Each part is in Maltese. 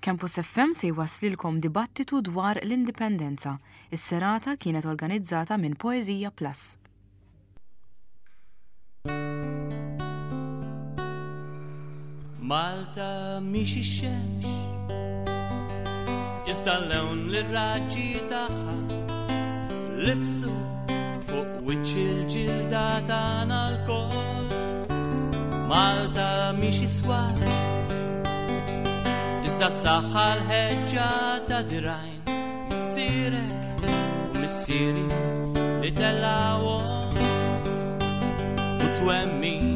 Campus FM se jwasslilkom dibattitu dwar l-Indipendenza. Is-serata kienet organizzata minn Poeżija Plus. Malta mhix ix-xemx Iżda l-lewn li raġġi tagħha libsu fuq wiċċ il-ġilda tagħna lkoll. Malta mhix iswar Iżda s-saħħa l-ħeġġa ta' dirajn Missierek u missieri li tellawhom u twemmin.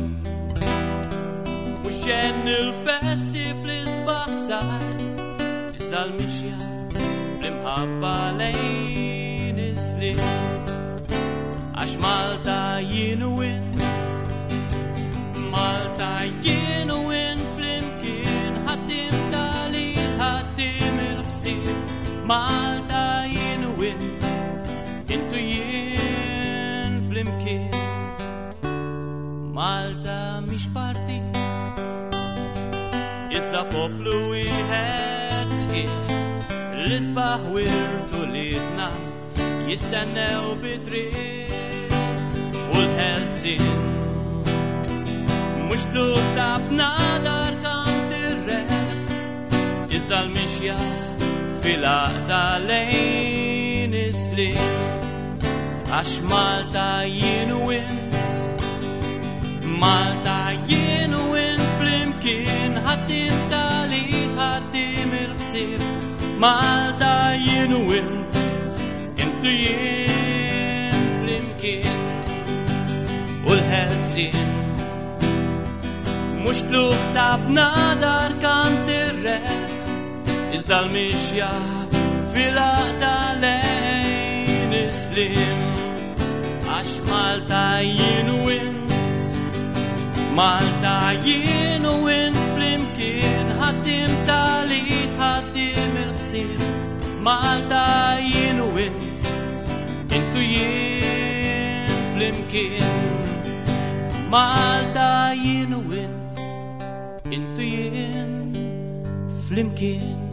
Mhux ġenn il-festi fl-isbaħ sajf, iżda l-mixja bl-imħabba lejn is-slim. Għax Malta jien u int, Malta jien u int flimkien ħaddim tali ħaddim il-ħsieb. Malta jien u int, intu jien flimkien. Malta mhix partit, iżda poplu wieħed sħiħ, l-isbaħ wirtu lidna jistennew bidritt u l-ħelsin. Mhux tluk ta' bnadar kant ir-rep, iżda l-mixja fil-għaqda lejn is-slim. Għax Malta jien u int, Malta jien u int flimkien ħaddim tali ħaddim il-ħsieb. Malta jien u int, intu jien flimkien u l-ħelsien. Mhux tluk ta' bnadar kant ir-rep, iżda l-mixja fil-għaqda lejn is-slim. Għax Malta jien u int, Malta jien u int flimkien ħaddim tali ħaddim il-ħsieb. Malta jien u int, intu jien flimkien. Malta jien u int, intu jien flimkien.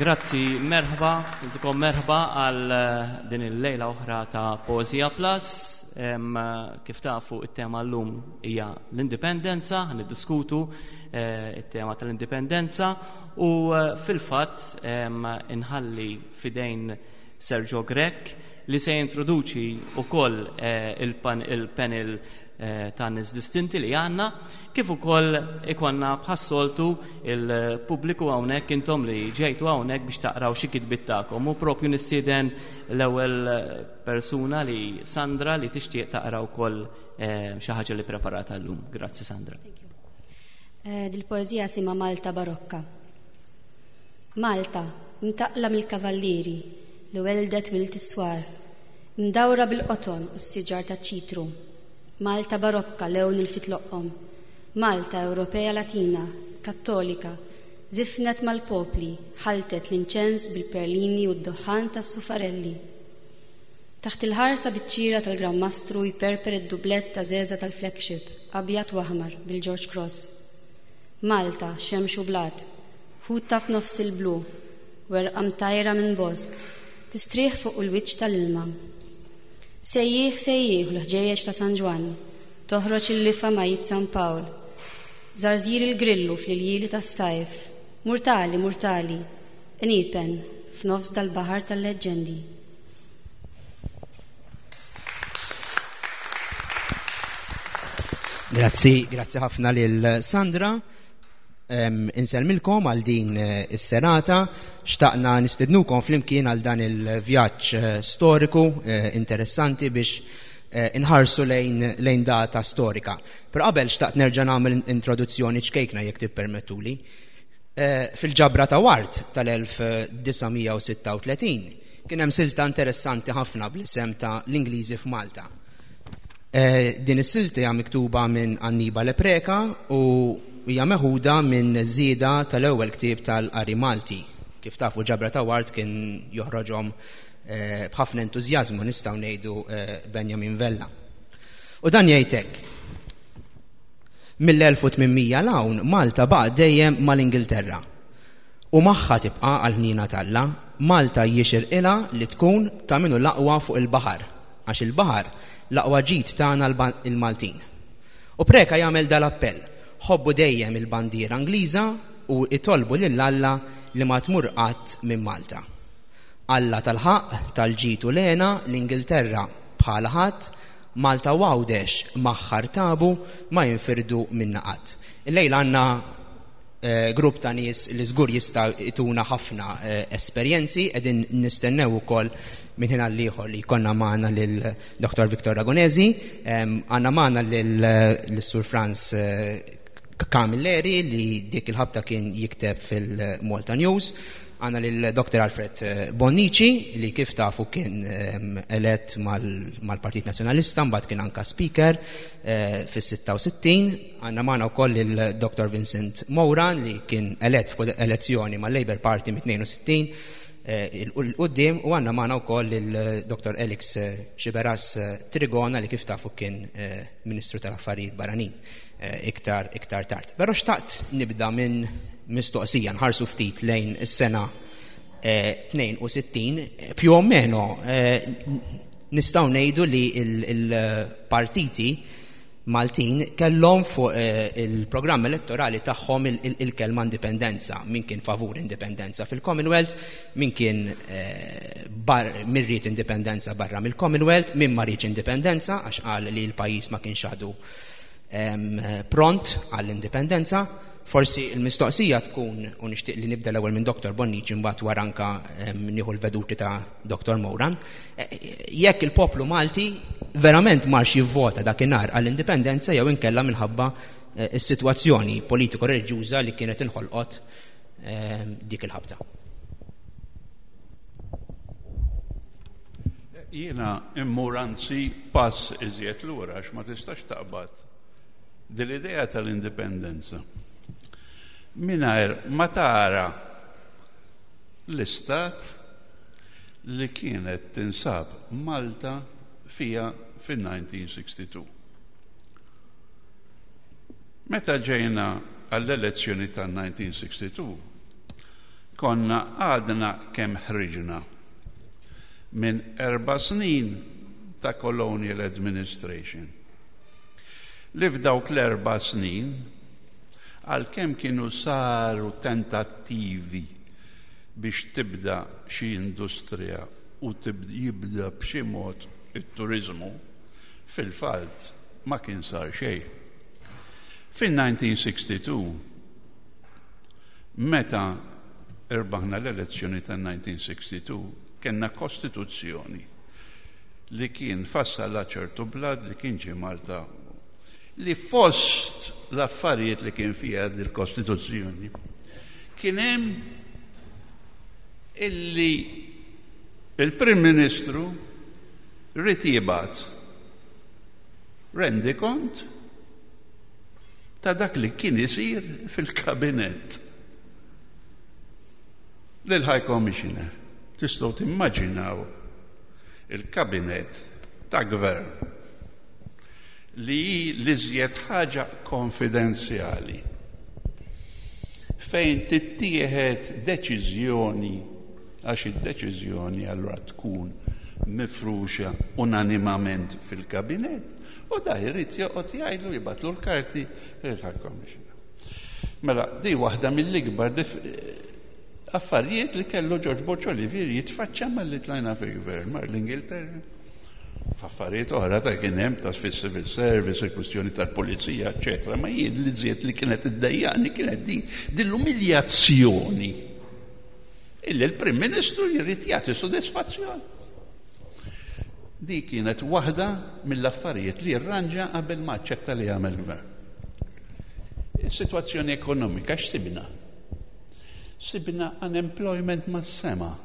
Grazzi, merħba, intikom merħba għal eh, din il-lejla oħra ta' Poezija Plus. Kif tafu it-tema l-lum hija l-indipendenza, niddiskutu eh, it-tema tal-indipendenza u eh, fil-fatt inħalli fidejn Sergio Grech li se jintroduċi wkoll il-panel ta' nies distinti li għandna, kif ukoll ikonna bħas-soltu il-pubbliku hawnhekk intom li ġejtu hawnhekk biex taqraw xi kitbiet tagħkom. U propju nistieden l-ewwel persuna li Sandra li tixtieq taqra wkoll eh, xi ħaġa li preparata llum. Grazzi Sandra. Eh, dil-poeżija sima Malta Barokka. Malta, mtaqla mill-kavallieri li weldet wild is-swar, mdawra bil-qoton u s-siġar taċ-ċitru. Malta barokka lewn il-fitloqqom. Malta Ewropea Latina, Kattolika, żifnet mal-popli, ħalltet l-inċens bil-perlini u d-duħħan tas-sufarelli. Taħt il-ħarsa biċ-ċira tal-Gran Mastru jperper id-dublett ta' żeża tal-flagship, abjad u aħmar, bil-George Cross. Malta, xemx u blat, ħuta f'nofs il-blu, werqa mtajra minn bosk, tistrieħ fuq il-wiċċ tal-ilma. Sejjieħ sejjieħ l-ħġejjeġ ta' San Ġwann, toħroġ il-lifa ma' id San Pawl. Żarżir il-grillu fl-iljieli tas-sajf, murtali, murtali, qniepen f'nofs dal-baħar tal-leġġendi. Grazzi, grazzi ħafna lil Sandra. Insellmilkom għal din eh, is-serata. Xtaqna nistednukom flimkien għal dan il-vjaġġ eh, storiku eh, interessanti biex inħarsu lejn, lejn data storika. Però qabel xtaqt nerġa' nagħmel introduzzjoni ċkejkna jekk tippermettuli. Fil-ġabra ta' Wart tal-1936 kien hemm silta interessanti ħafna bl-isem ta' l-Ingliżi f'Malta. Eh, din is-silta hija miktuba minn Annibale Preca u hija meħuda minn żieda tal-ewwel ktieb tal-qari Malti. Kif tafu ġabra ta' Ward kien joħroġhom b'ħafna entużjażmu nistgħu ngħidu Benjamin Vella. U dan jgħid hekk. Mill-1800 'l hawn Malta baqgħet dejjem mal-Ingilterra. U magħha tibqa' għall-ħniena t'Alla, Malta jixirqilha li tkun ta' min hu l-aqwa fuq il-baħar, għax il-baħar l-aqwa ġid tagħna l-Maltin. U Preca jagħmel dal-appell, ħobbu dejjem il-bandiera Ingliża u itolbu lil Alla li ma tmur qatt minn Malta. Alla tal-ħaqq, tal-ġid u l-hena, l-Ingilterra bħalha ħadd, Malta u Għawdex magħha rtabu, ma jinfirdu minna qatt. Illejla għandna eh, grupp ta' nies li żgur jista' jtuna ħafna eh, esperjenzi, qegħdin nistennew ukoll minn ħin għal ieħor li jkollna magħna lil Dr. Victor Ragonesi, għandna magħna lil Sur Franz eh, Camilleri li dik il-ħabta kien jikteb fil-Malta News. Għandna lil Dr. Alfred Bonnici li kif tafu kien elett mal-Partit Nazzjonalista, mbagħad kien anka speaker fis-66. Għandna magħna wkoll lil Dr. Vincent Moran li kien elett f'kull elezzjoni mal-Labour Party mit-62 il-qudiem u għandna magħna wkoll lil Dr. Alex Sciberras Trigona li kif tafu kien Ministru tal-Affarijiet Barranin iktar iktar tard. Però xtaqt nibda minn mistoqsija nħarsu ftit lejn is-sena 62 più o meno nistgħu ngħidu li il-partiti Maltin kellhom fuq il-programm elettorali tagħhom il-kelma indipendenza, min kien favur indipendenza fil-Commonwealth, min kien min ried indipendenza barra mill-Commonwealth, min ma riedx indipendenza għax qal li l-pajjiż ma kienx għadu pront għall-indipendenza. Forsi il-mistoqsija tkun, u nixtieq li nibda l-ewwel minn Dr. Bonnici mbagħad wara anka nieħu l-veduti ta' Dr. Moran, jekk il-poplu Malti verament marx jivvota dakinhar għall-indipendenza jew inkella minħabba is-sitwazzjoni politiko-reliġjuża li kienet inħolqot dik il-ħabta. Jiena immur anzi pass iżjed lura għax ma tistax taqbad dil-idea tal-indipendenza mingħajr ma tara l-istat li kienet tinsab Malta fija fin-1962. Meta ġejna għall-elezzjoni tan-1962, konna għadna kemm ħriġna minn 4 snin ta' colonial administration. Li f'dawk l-4 snin, għalkemm kienu saru tentattivi biex tibda xi industrija u jibda b'xi mod it-turiżmu, fil-fatt ma kien sar xejn. Fin-1962, meta irbaħna l-elezzjoni tan-1962, kellna kostituzzjoni li kien fassalha ċertu blad li kien ġie Malta li fost l-affarijiet li kien fiha dil-kostituzzjoni kien hemm illi il-Prim Ministru ried jibgħat rendikont ta' dak li kien isir fil-kabinett lil High Commissioner. Tistgħu timmaġinaw il-kabinett ta' gvern li hi l-iżjed ħaġa konfidenzjali fejn tittieħed deċiżjoni għax id-deċiżjoni allura tkun mifruxa unanimament fil-kabinett u da jrid joqgħod jgħidlu jibgħatlu l-karti lil High Commissioner. Mela, di waħda mill-ikbar affarijiet li kellu George Borg Olivier jitfaċċa malli tlajna fil-gvern mar l-Ingilterra. F'affarijiet oħra ta' kien hemm ta' fis-civil service, il-kwistjoni tal-pulizija, eċetera, ma jien li żied li kienet iddejjaqni kienet din din l-umiljazzjoni illi l-Prim Ministru jrid jagħti sodisfazzjon. Di kienet waħda mill-affarijiet li rranġa qabel ma aċċetta li jagħmel gvern. Is-sitwazzjoni ekonomika x'sibna? Sibna unemployment mas-sema,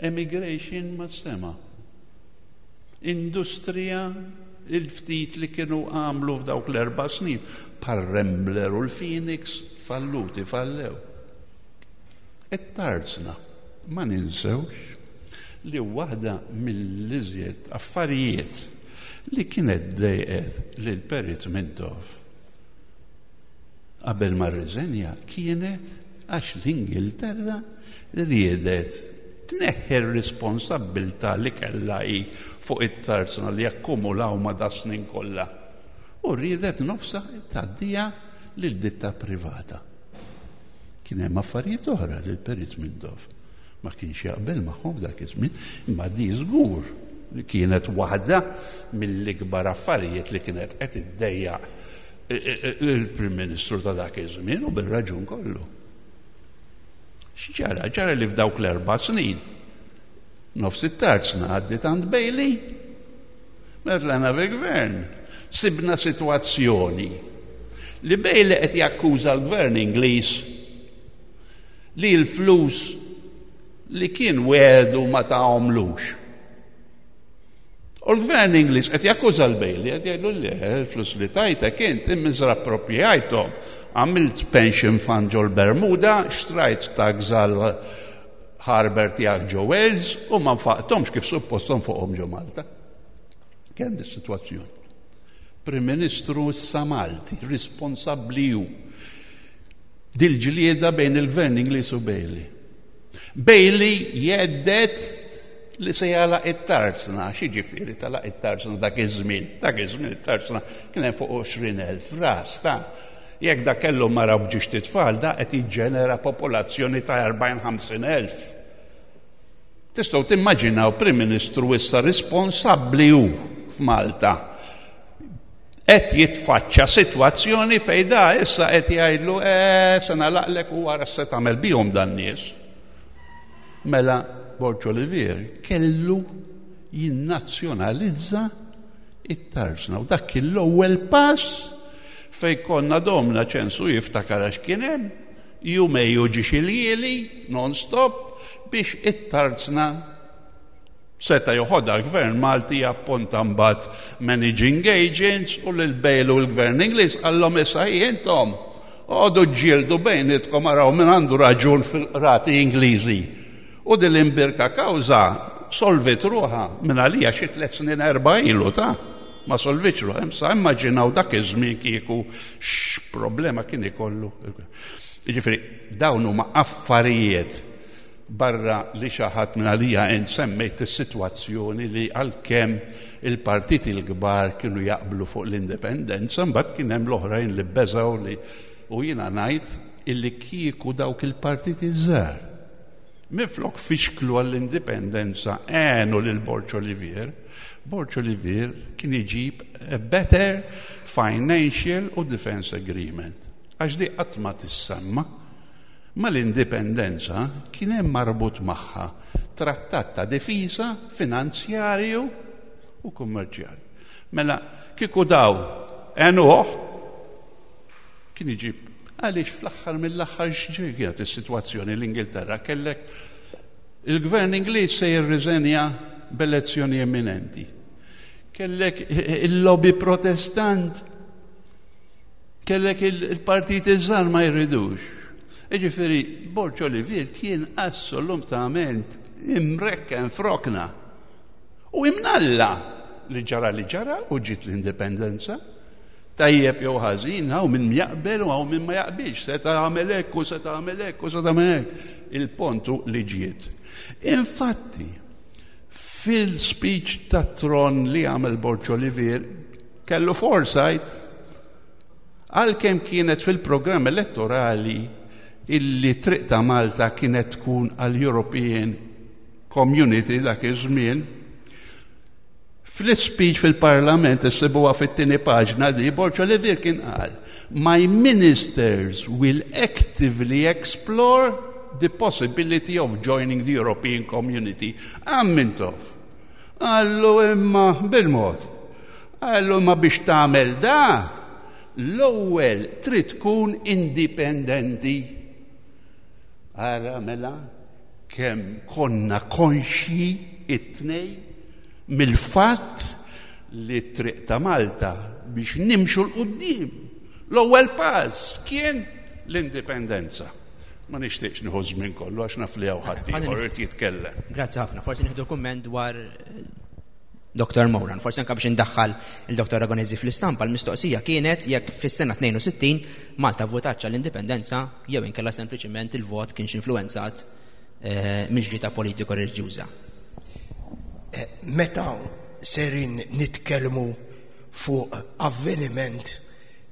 emigration mas-sema, industrija il-ftit li kienu għamlu f'dawk l-4 snin, bħal Rambler u l-Phoenix, falluti, fallew. It-tarzna, ma ninsewx. Li waħda mill-iżjed affarijiet li kienet dejqet lil Perit Mintoff qabel ma rriżenja kienet għax l-Ingilterra riedet tneħħi r-responsabbiltà li kellha hi fuq it-tarzna li akkumulaw ma' das-snin kollha u riedet nofsha tgħaddiha lil ditta privata. Kien hemm affarijiet oħra li l-Perit Mintoff ma kienx jaqbel magħhom f'dak iż-żmien, imma di żgur li kienet waħda mill-ikbar affarijiet li kienet qed iddejjaq il-Prim Ministru ta' dak iż-żmien u bir-raġun kollu. X'ġara? Ġara li f'dawk l-erba' snin nofs it-tarzna għaddiet għand Bailey, meta tlajna fil-gvern, sibna sitwazzjoni li Bailey qed jakkuża l-gvern Ingliż li l-flus li kien wegħdu ma tahomlux. U l-gvern Ingliż qed jakkuża l-Bailey, qed jgħidlu le, l-flus li tajtek int immiżrapproprjajthom. Għamilt pension fund ġol Bermuda, xtrajt tags għal harbour tiegħek ġo Wales u ma nfaqthomx kif suppost fuqhom ġo Malta. Kemm dis-sitwazzjoni. Prim Ministru issa Malti, responsabbli hu. Dil-ġlieda bejn il-gvern Ingliż u Bailey. Bailey jgħedded li se jagħlaq it-tarzna, x'jiġifieri tagħlaq it-tarzna dak iż-żmien? Dak iż-żmien it-tarzna kien hemm fuq 20,000 ras ta' jekk da kellu mara b'ġiex titfal da qed jiġġenera popolazzjoni ta' 40-50,000. Tistgħu timmaġinaw Prim Ministru issa responsabbli hu f'Malta qed jitfaċċa sitwazzjoni fejn da issa qed jgħidlu eh, se nagħlaqlek u wara se tagħmel bihom dan nies. Mela Borg Olivier kellu jinnazzjonalizza it-tarzna u dak kien l-ewwel pass fejn konna domna ċensu jiftakar għax kien hemm jumej u ġiex iljieli non-stop biex it-tarzna Seta' joħodha l-Gvern Malti japponta mbagħad managing agents u lil Bail u l-Gvern Ingliż qallhom issa hi intom oqogħdu ġġieldu bejnietkom araw min għandu raġun fil-qrati Ingliżi. U din l-imbierka kawża solviet ruħha minn għalija xi tliet snin erba' ilu ta' ma solvitx ruħha. Issa immaġinaw dak iż-żmien kieku x'problema kien ikollu. Jiġifieri dawn huma affarijiet Barra li xi ħadd minn għalija int semmejt is-sitwazzjoni li għalkemm il-partiti l-kbar kienu jaqblu fuq l-indipendenza, mbagħad kien hemm l-oħrajn li beżgħu li u jiena ngħid illi kieku dawk il-partiti żgħar minflok fixklu għall-indipendenza għenu lil Borg Olivier, Borg Olivier kien iġib a better financial u defense agreement. Għax di qatt ma tissemma. Mal-indipendenza kien hemm marbut magħha trattat ta' difiża finanzjarju u kummerċjali. Mela, kieku daw għenuh, kien iġib għaliex fl-aħħar mill-aħħar x'ġej kienet is-sitwazzjoni l-Ingilterra kellek il-gvern Ingliż se jirriżenja b'elezzjoni imminenti. Kellek il-lobby protestant Kellek il-partiti żgħar ma jridux. Jiġifieri Borg Olivier kien assolutament imrekken frokna. U imnalla li ġara li ġara u ġiet l-indipendenza. Tajjeb jew ħażin, hawn min jaqbel u hawn min ma jaqbilx, se tagħmel hekk u se tagħmel hekk u se tagħmel hekk. Il-pontu li ġiet. Infatti, fil-speech tat-tron li għamel Borg Olivier, kellu foresight għalkemm kienet fil-programm elettorali illi triq ta' Malta kienet tkun għal European Community dak iż-żmien, fl-ispeech fil-Parlament issibuha fit-tieni paġna di Borg Olivier kien qal My ministers will actively explore the possibility of joining the European Community. Ammintoff. Qallu imma bil-mod. Qallu imma biex tagħmel da, l-ewwel trid tkun indipendenti. Ara mela kemm konna konxji it-tnej mill-fatt li t-triq ta' Malta biex nimxu l-qudiem. L-ewwel pass kien l-indipendenza. Ma nixtieqx nieħu żmien kollu għax naf li hawn ħadd ieħor irid jitkellem. Grazzi ħafna. Forsi nieħdu kumment dwar eh, Dr. Moran, forsi anka biex indaħħal il-Dr. Ragonesi fl-istampa, l-mistoqsija kienet jekk fis-sena 62 Malta votatx l-indipendenza jew inkella sempliċement il-vot kienx influenzat eh, mill-ġita politiko reliġjuża. Eh, meta serin nitkellmu fuq avveniment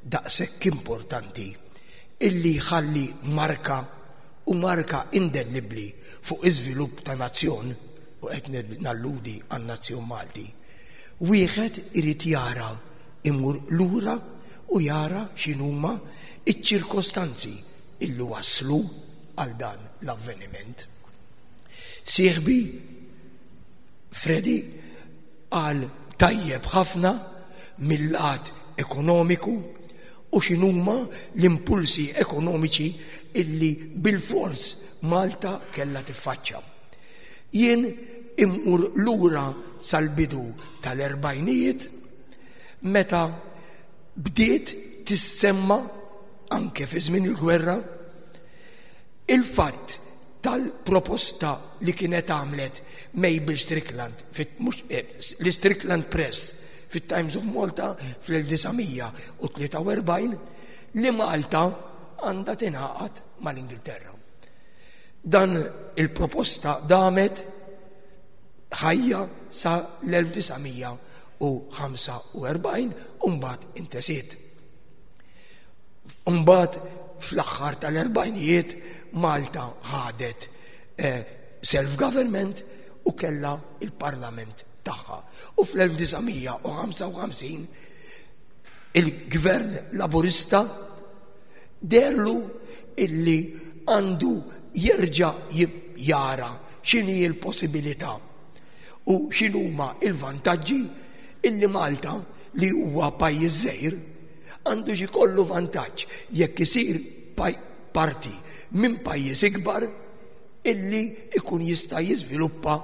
daqshekk importanti illi jħalli marka u marka indellibbli fuq iżvilupp ta' nazzjon, u qed nalludi għan-nazzjon Malti, wieħed irid jara imur lura u jara x'inhuma ċ-ċirkostanzi illi wasslu għal dan l-avveniment. Sieħbi Freddie qal tajjeb ħafna mil-lat ekonomiku u x'inhuma l-impulsi ekonomiċi illi bilfors Malta kellha tiffaċċja. Jien immur lura sal-bidu tal-erbgħinijiet meta bdiet tissemma anke fi żmien il-gwerra il-fatt tal-proposta li kienet għamlet Mabel Strickland, eh, l-Strickland Press fit-Times of Malta fl-1943 li Malta għandha tingħaqad mal-Ingilterra. Dan il-proposta damet ħajja sa l-1945 u mbagħad intesiet. Mbagħad fl-aħħar tal-erbgħinijiet Malta ħadet eh, self-government u kellha il-parlament tagħha. U fl-1955 il-gvern laburista derlu illi għandu jerġa' jara x'inhi l-possibilità u x'inhuma il-vantaġġi illi Malta li huwa pajjiż żgħir għandu xi kollu vantaġġ jekk isir parti minn pajjiż ikbar illi ikun jista' jiżviluppa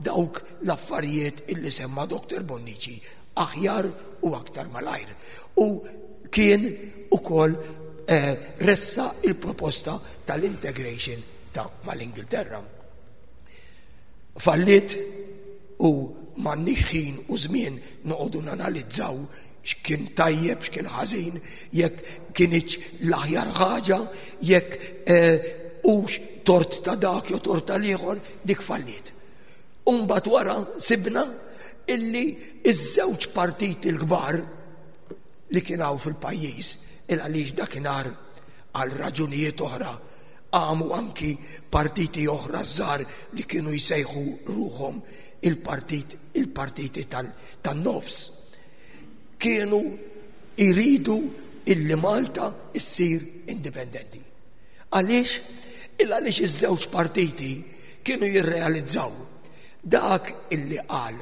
dawk l-affarijiet illi semma Dr. Bonnici aħjar u aktar malajr. U kien ukoll eh, ressa il-proposta tal-integration ta' mal-Ingilterra. Fallit u m'għandniex ħin u żmien noqogħdu nanalizzaw x'kien tajjeb, x'kien ħażin, jekk kinitx l-aħjar ħaġa, jekk eh, hux tort ta' dak jew tort tal-ieħor, dik falliet. Umbagħad wara sibna illi iż-żewġ partiti l-kbar li kien hawn fil-pajjiż il għaliex dakinhar għal raġunijiet oħra qamu anki partiti oħra żgħar li kienu jsejħu ruħhom il-partit il-partiti tan-nofs. Kienu jridu illi Malta issir indipendenti. Għaliex? Il għaliex iż-żewġ partiti kienu jirrealizzaw dak illi qal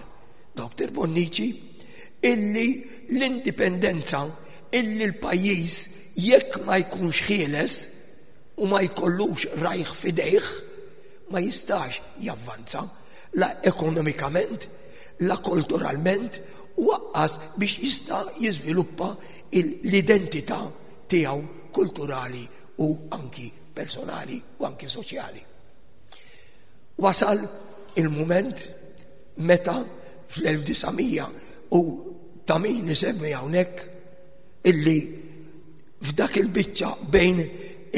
Dr. Bonnici illi l-indipendenza illi l-pajjiż jekk ma jkunx ħieles u ma jkollux rajh f'idejh ma jistax javvanza la ekonomikament, la kulturalment u lanqas biex jista' jiżviluppa l-identità tiegħu kulturali u anki personali u anki soċjali. Wasal il-moment meta fl-1900 u ta' min isemmi hawnhekk illi f'dak il-biċċa bejn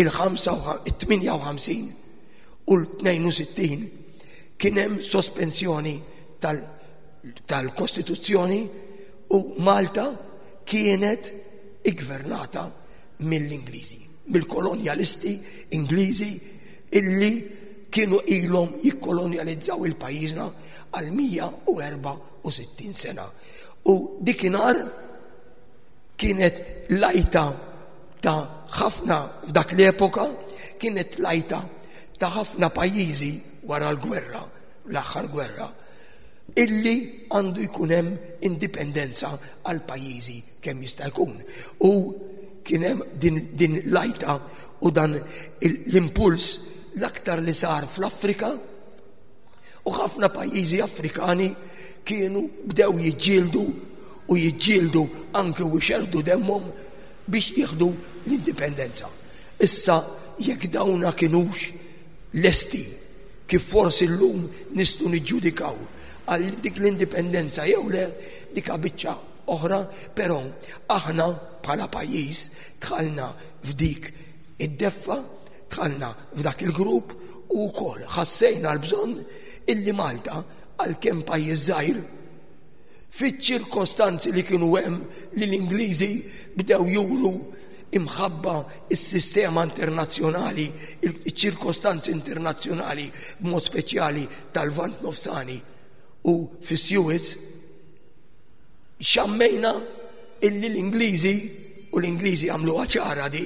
il-58 u l-62 kien hemm sospensjoni tal-Kostituzzjoni u Malta kienet iggvernata mill-Ingliżi, mill-kolonjalisti Ingliżi illi kienu ilhom jikkolonjalizzaw il-pajjiżna għal 164 sena. U dikinhar kienet lajta ta' ħafna f'dak l-epoka, kienet lajta ta' ħafna pajjiżi wara l-gwerra, l-aħħar gwerra, illi għandu jkun hemm indipendenza għal pajjiżi kemm jista' jkun. U kien hemm din, din lajta u dan l-impuls l-aktar li sar fl-Afrika u ħafna pajjiżi Afrikani kienu bdew jiġġieldu u jiġġieldu anke u xerdu demmhom biex jieħdu l-indipendenza. Issa jekk dawna kinux lesti kif forsi llum nistgħu niġġudikaw għal dik l-indipendenza jew le dika biċċa oħra, però aħna bħala pajjiż dħalna f'dik id-deffa, dħalna f'dak il-grupp u wkoll ħassejna l-bżonn illi Malta għalkemm pajjiż żgħir fiċ-ċirkostanzi li kienu hemm li l-Ingliżi bdew juru imħabba is-sistema internazzjonali, iċ-ċirkostanzi internazzjonali b'mod speċjali tal-Lvant Nofsani u fis-Suez, xammejna illi l-Ingliżi u l-Ingliżi għamluha ċara di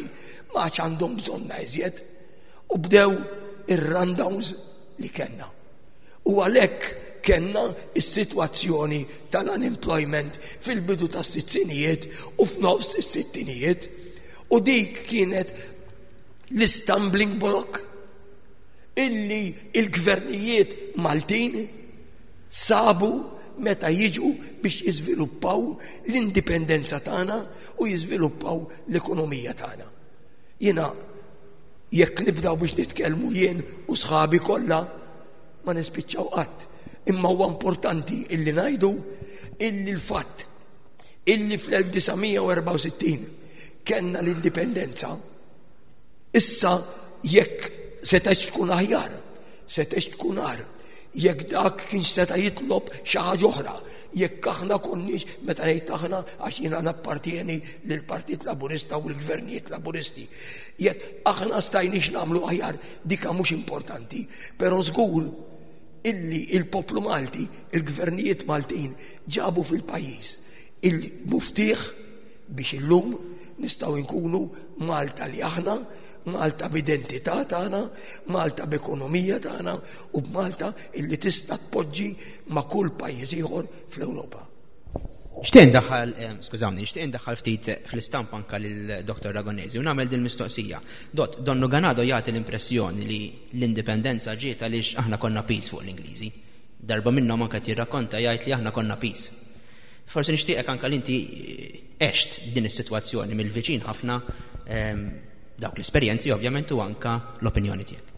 ma għadx għandhom bżonna iżjed u bdew ir-rundowns li kellna. U għalhekk kellna s-sitwazzjoni tal-unemployment fil-bidu tas-sittinijiet u f'nofs is-sittinijiet u dik kienet l-istumbling block illi il-gvernijiet Maltin sabu meta jiġu biex jiżviluppaw l-indipendenza tagħna u jiżviluppaw l-ekonomija tagħna. Jiena jekk nibdaw biex nitkellmu jien u sħabi kollha ma nispiċċaw qatt. Imma huwa importanti illi ngħidu illi l-fatt illi fl-1964 kellna l-indipendenza issa jekk setgħetx tkun aħjar, setgħetx tkun agħar, jekk dak kienx seta' jitlob xi ħaġa oħra, jekk aħna konniex meta ngħid aħna għax jiena nappartieni lill-Partit Laburista u l-gvernijiet Laburisti. Jekk aħna stajniex nagħmlu aħjar dika mhux importanti, però żgur illi il-poplu Malti, il-gvernijiet Maltin ġabu fil-pajjiż il-muftieħ biex illum nistgħu nkunu Malta li aħna, Malta b'identità tagħna, Malta b'ekonomija tagħna u b'Malta illi tista' tpoġġi ma' kull pajjiż ieħor fl-Ewropa. Nixtieq indaħħal, eh, skużawni, nixtieq indaħħal ftit fl-istampa anka lil Dr. Ragonesi u nagħmel din mistoqsija. Dott, Donnu Ganado jagħti l-impressjoni li l-indipendenza ġiet għaliex aħna konna piż fuq l-Ingliżi. Darba minnhom anke qed jirrakkonta jgħid li aħna konna piż. Forsi nixtieqek anka li inti għext din is-sitwazzjoni mill-viċin ħafna ehm, dawk l-esperjenzi ovvjament u anka l-opinjoni tiegħek.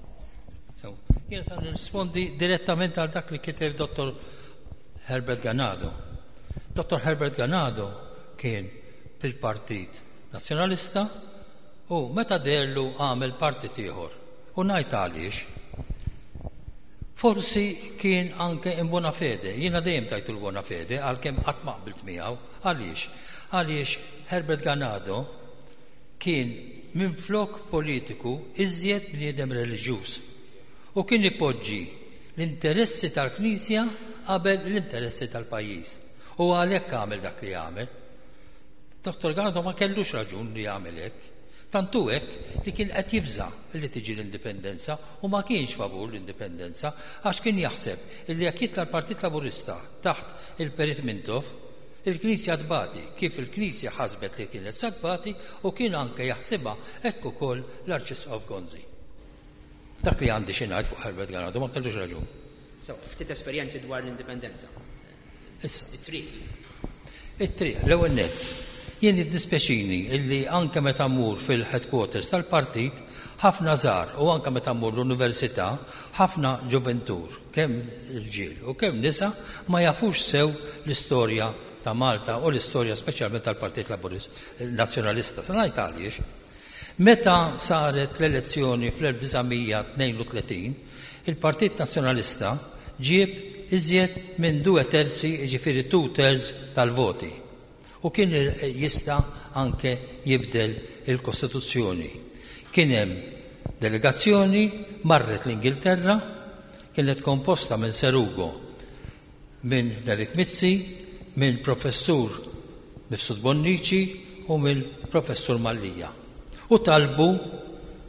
So, jien sa nirrispondi direttament għal dak li kiteb Dr. Herbert Ganado. Dr. Herbert Ganado kien fil-Partit Nazzjonalista u meta deherlu għamel partit ieħor. U ngħid għaliex. Forsi kien anke in buona fede. Jiena dejjem tajtu l-buona fede għalkemm qatt ma qbilt miegħu. Għaliex? Għaliex Herbert Ganado kien minflok politiku iżjed bniedem reliġjuż u kien ipoġġi l-interessi tal-Knisja qabel l-interessi tal-pajjiż. U għalhekk għamel dak li għamel. Dottor Ganado ma kellux raġun li jagħmel hekk. Tant hu hekk li kien qed jibża' li tiġi l-Indipendenza u ma kienx favur l-Indipendenza għax kien jaħseb illi jekk jitla' l-Partit Laburista taħt il-Perit Mintoff, il-Knisja tbati, kif il-Knisja ħasbet li kienet sa tbati u kien anke jaħsibha hekk ukoll l-Arċisqof Gonzi. Dak li għandi xi ngħid fuq Herbert Ganado ma kellux raġun. So, ftit esperjenzi dwar l-indipendenza. Issa. It-triq. It-triq, l-ewwel nett. Jien jiddispjaċini illi anke meta mmur fil-headquarters tal-partit, ħafna żgħar u anke meta mmur l-università, ħafna ġuventur, kemm irġiel u kemm nisa, ma jafux sew l-istorja ta' Malta u l-istorja speċjalment tal-Partit Laburist Nazzjonalista. Se ngħid għaliex. Meta saret l-elezzjoni fl-1932, il-Partit Nazzjonalista ġieb iżjed minn due terzi, jiġifieri two thirds tal-voti u kien jista' anke jibdel il-Kostituzzjoni. Kien hemm delegazzjoni marret l-Ingilterra, kienet komposta minn Sir Ugo, minn Nerik Mizzi, minn Professur Mifsud Bonnici u mill Professur Mallia. U talbu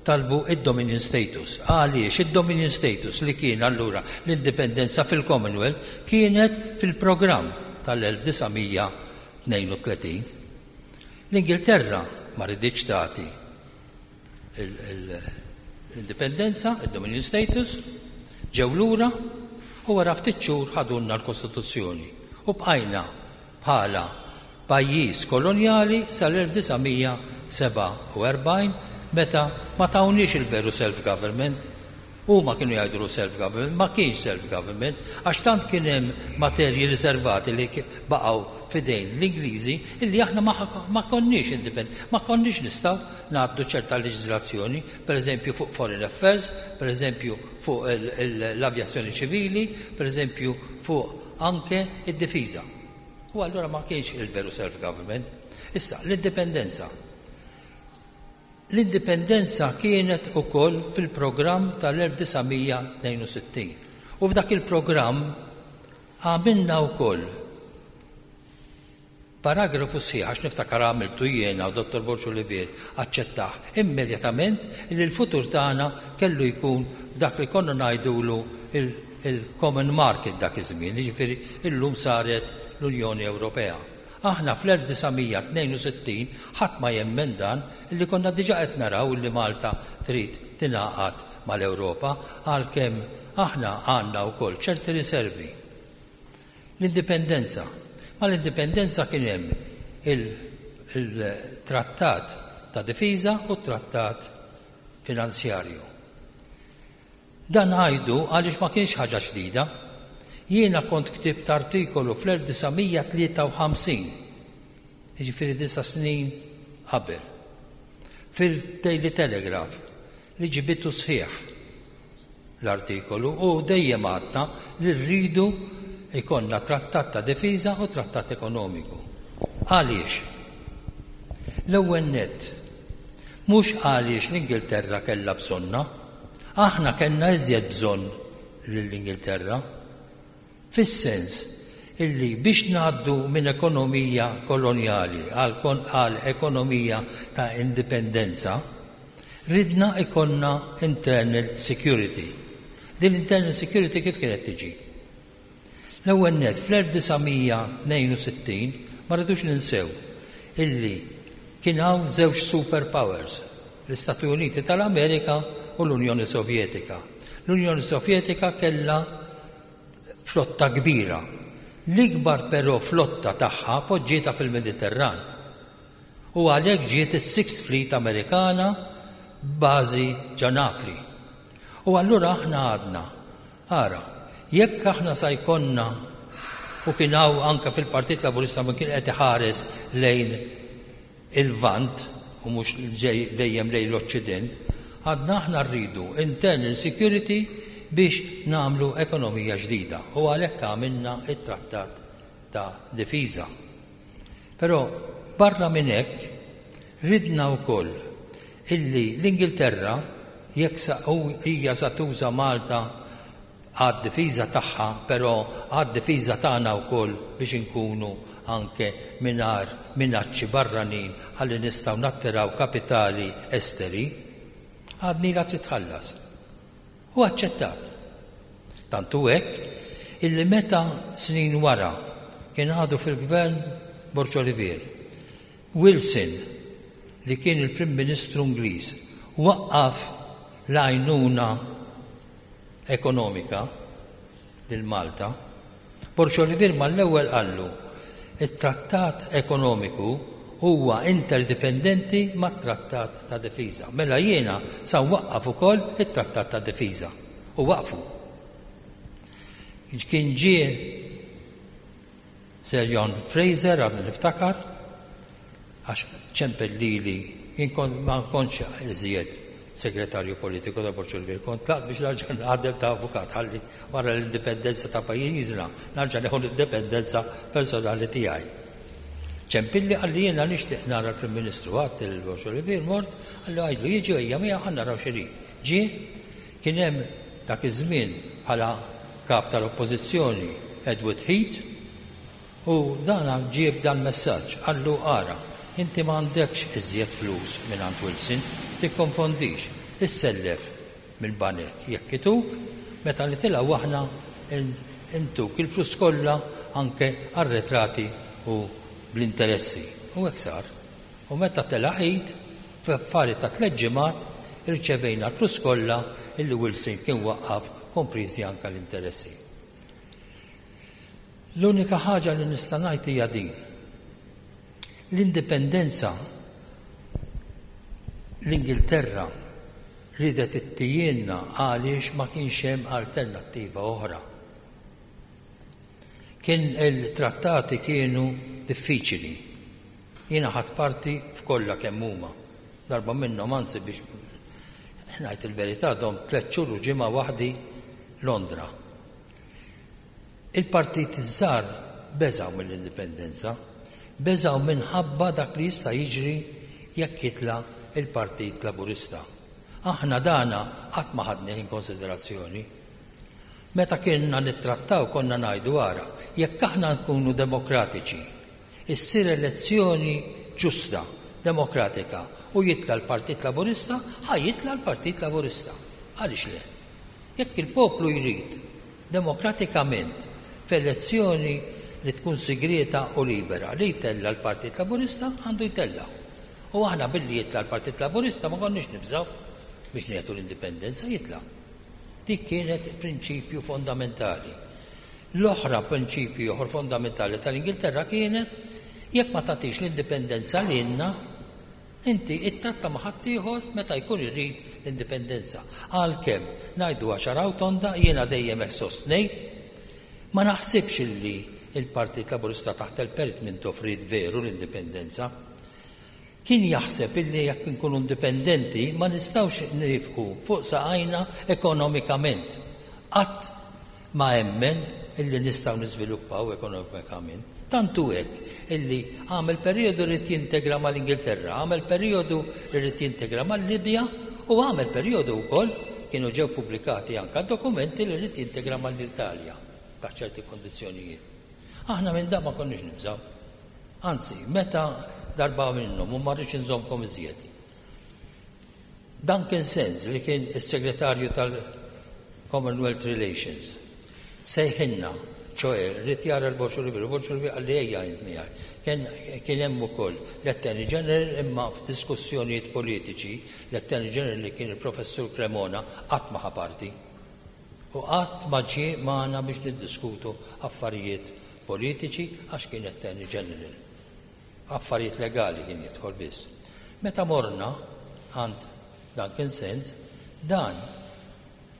talbu id-Dominion Status. Għaliex id-Dominion Status li kien allura l-indipendenza fil-Commonwealth kienet fil-programm tal-1932. L-Ingilterra ma riditx tagħti l-indipendenza, id-Dominion Status, ġew lura u wara ftit xhur ħadulna l-Kostituzzjoni u bqajna bħala pajjiż kolonjali sal-1947. meta ma tawniex il-veru self-government. Huma kienu jgħidulu self-government, ma kienx self-government, għax tant kien hemm materji riservati li baqgħu f'idejn l-Ingliżi illi aħna ma konniex indipendenti, ma konniex nistgħu ngħaddu ċerta leġiżlazzjoni, pereżempju fuq foreign affairs, pereżempju fuq l-avjazzjoni ċivili, pereżempju fuq anke id-difiża. U allura ma kienx il-veru self-government. Issa, l-indipendenza. L-indipendenza kienet ukoll fil-programm tal-1962. U f'dak il-programm għamilna wkoll paragrafu sħiħ, għax niftakar għamiltu jiena u Dottor Borg Olivier aċċettah immedjatament li l-futur tagħna kellu jkun f'dak li konna ngħidulu il-common market dak iż-żmien, jiġifieri illum saret l-Unjoni Ewropea. Aħna fl-1962, ħadd ma jemmen dan, illi konna diġà qed naraw illi Malta trid tingħaqad mal-Ewropa, għalkemm aħna għandna wkoll ċerti riservi. L-Indipendenza. Mal-Indipendenza kien hemm il-Trattat ta' Difiża u t-Trattat Finanzjarju. Dan ngħidu għaliex ma kienx ħaġa ġdida. Jiena kont ktibt artikolu fl-1953, jiġifieri disa' snin qabel, fil-Daily Telegraph li ġibitu sħiħ l-artikolu u dejjem għadna li rridu jkollna trattat ta' difiża u trattat ekonomiku. Għaliex? L-ewwel nett, mhux għaliex l-Ingilterra kellha bżonnha, Aħna kellna iżjed bżonn lill-Ingilterra. Fis-sens illi biex ngħaddu minn ekonomija kolonjali għal ekonomija ta' indipendenza, ridna jkollna internal security. Din l-internal security kif kienet tiġi? L-ewwel nett, fl-1962 ma rridux ninsew illi kien hawn żewġ super powers, l-Istati Uniti tal-Amerika u l-Unjoni Sovjetika. L-Unjoni Sovjetika kellha flotta kbira. L-ikbar però flotta tagħha poġġietha fil-Mediterran. U għalhekk ġiet is-Sixth Fleet Amerikana b'bażi ġa Napli. U allura aħna għadna Ara, jekk aħna sa jkollna, u kien hawn anke fil-Partit Laburista min kien qed iħares lejn il-Lvant u mhux dejjem lejn l-Oċċident, għadna aħna rridu internal security biex nagħmlu ekonomija ġdida u għalhekk għamilna t-trattat ta' difiża. Però barra minn hekk ridna wkoll illi l-Ingilterra jekk sa hija sa tuża Malta għad-difiża tagħha però għad-difiża tagħna wkoll biex inkunu anke mingħajr minaċċi barranin ħalli nistgħu nattiraw kapitali esteri, għadnilha trid tħallas. U aċċettat. Tant hu hekk illi meta snin wara kien għadu fil-Gvern Borg Olivier, Wilson, li kien il-Prim Ministru Ingliż, waqqaf l-għajnuna ekonomika lil Malta, Borg Olivier mal-ewwel qallu, It-trattat ekonomiku huwa interdipendenti mat-trattat ta' difiża. Mela jiena sa nwaqqaf ukoll it-trattat ta' difiża. U waqqfu. Kien ġie Sir John Fraser, għadni niftakar, għax ċempel lili, jien kont ma kontx iżjed segretarju politiku ta' Borg Olivier, kont tlaqt biex narġa' naħdem ta' avukat ħalli wara l-indipendenza ta' pajjiżna narġa' nieħu l-indipendenza personali tiegħi. Ċempilli qalli jiena nixtieq nara l-Prim Ministru, għedt lil Borg Olivier mort, qalli għidlu jiġi u ejja miegħu ħa naraw x'irid. Ġie, kien hemm dak iż-żmien bħala kap tal-Oppożizzjoni Edward Heath, U dana ġie b'dal-messaġġ, qallu ara, inti m'għandekx iżjed flus mingħand Wilson, tikkonfondix, issellef mill-banek jekk ituk, meta nitilgħu aħna ntuk il-flus kollha anke arretrati u bl-interessi. U hekk sar. U meta tela' Heath, f'affari ta' tlett ġimgħat irċevejna l-flus kollha illi Wilson kien waqqaf kompriżi anke l-interessi. L-unika ħaġa li nista' ngħid hija din. L-indipendenza. L-Ingilterra riedet ittihielna għaliex ma kienx hemm alternattiva oħra. Kien il-trattati kienu diffiċili. Jiena ħadt parti f'kollha kemm huma. Darba minnhom anzi biex ngħid il-verità domt tlett xhur u ġimgħa waħdi Londra. Il-partiti ż-żgħar beżgħu mill-indipendenza. Beżgħu minħabba dak li jista' jiġri jekk jitla' l-Partit Laburista. Aħna dana qatt ma ħadnih in konsiderazzjoni. Meta kienna nittrattaw konna ngħidu ara, jekk aħna nkunu demokratiċi, issir elezzjoni ġusta, demokratika u jitla' l-Partit Laburista, ħa jitla' l-Partit Laburista. Għaliex le? Jekk il-poplu jrid demokratikament f'elezzjoni li tkun sigrieta u libera li jtella' l-Partit Laburista għandu jtella'. U aħna billi jitla' l-Partit Laburista ma konniex nibżgħu biex nieħdu l-indipendenza jitla'. Dik kienet prinċipju fondamentali. L-oħra prinċipju ieħor fondamentali tal-Ingilterra kienet jekk ma tagħtix l-indipendenza lilna Inti ittratta ma' ħaddieħor meta jkun irid l-indipendenza. Għalkemm, ngħiduha ċara u tonda, jiena dejjem hekk sostnejt, ma naħsibx illi l-Partit Laburista taħt il-Perit Mintoff ried veru l-indipendenza. Kien jaħseb illi jekk inkunu indipendenti ma nistgħux niefqu fuq saqajna ekonomikament. Qatt ma emmen illi nistgħu niżviluppaw ekonomikament. Tant hu hekk illi għamel perijodu ried jintegra mal-Ingilterra, għamel perijodu li ried jintegra mal-Libja u għamel perijodu wkoll, kienu ġew pubblikati anke dokumenti li ried jintegra mal-Italja taħt ċerti kondizzjonijiet. Aħna minn dan ma konniex nibżgħu. Anzi, meta darba minnhom u ma rridx inżommkom iżjed. Duncan Sands li kien is-Segretarju tal-Commonwealth Relations sejħilna, ċoe ried jara l-Borġ Olivier, u Borġ Olivier qalli ejja int miegħi. Kien kien hemm ukoll l-Attorney General imma f'diskussjonijiet politiċi l-Attorney General li kien il-Professur Cremona qatt ma ħa parti. U qatt ma ġie magħna biex niddiskutu affarijiet politiċi għax kien Attorney General. Affarijiet legali kien jidħol biss. Meta morna għand Duncan Sands, dan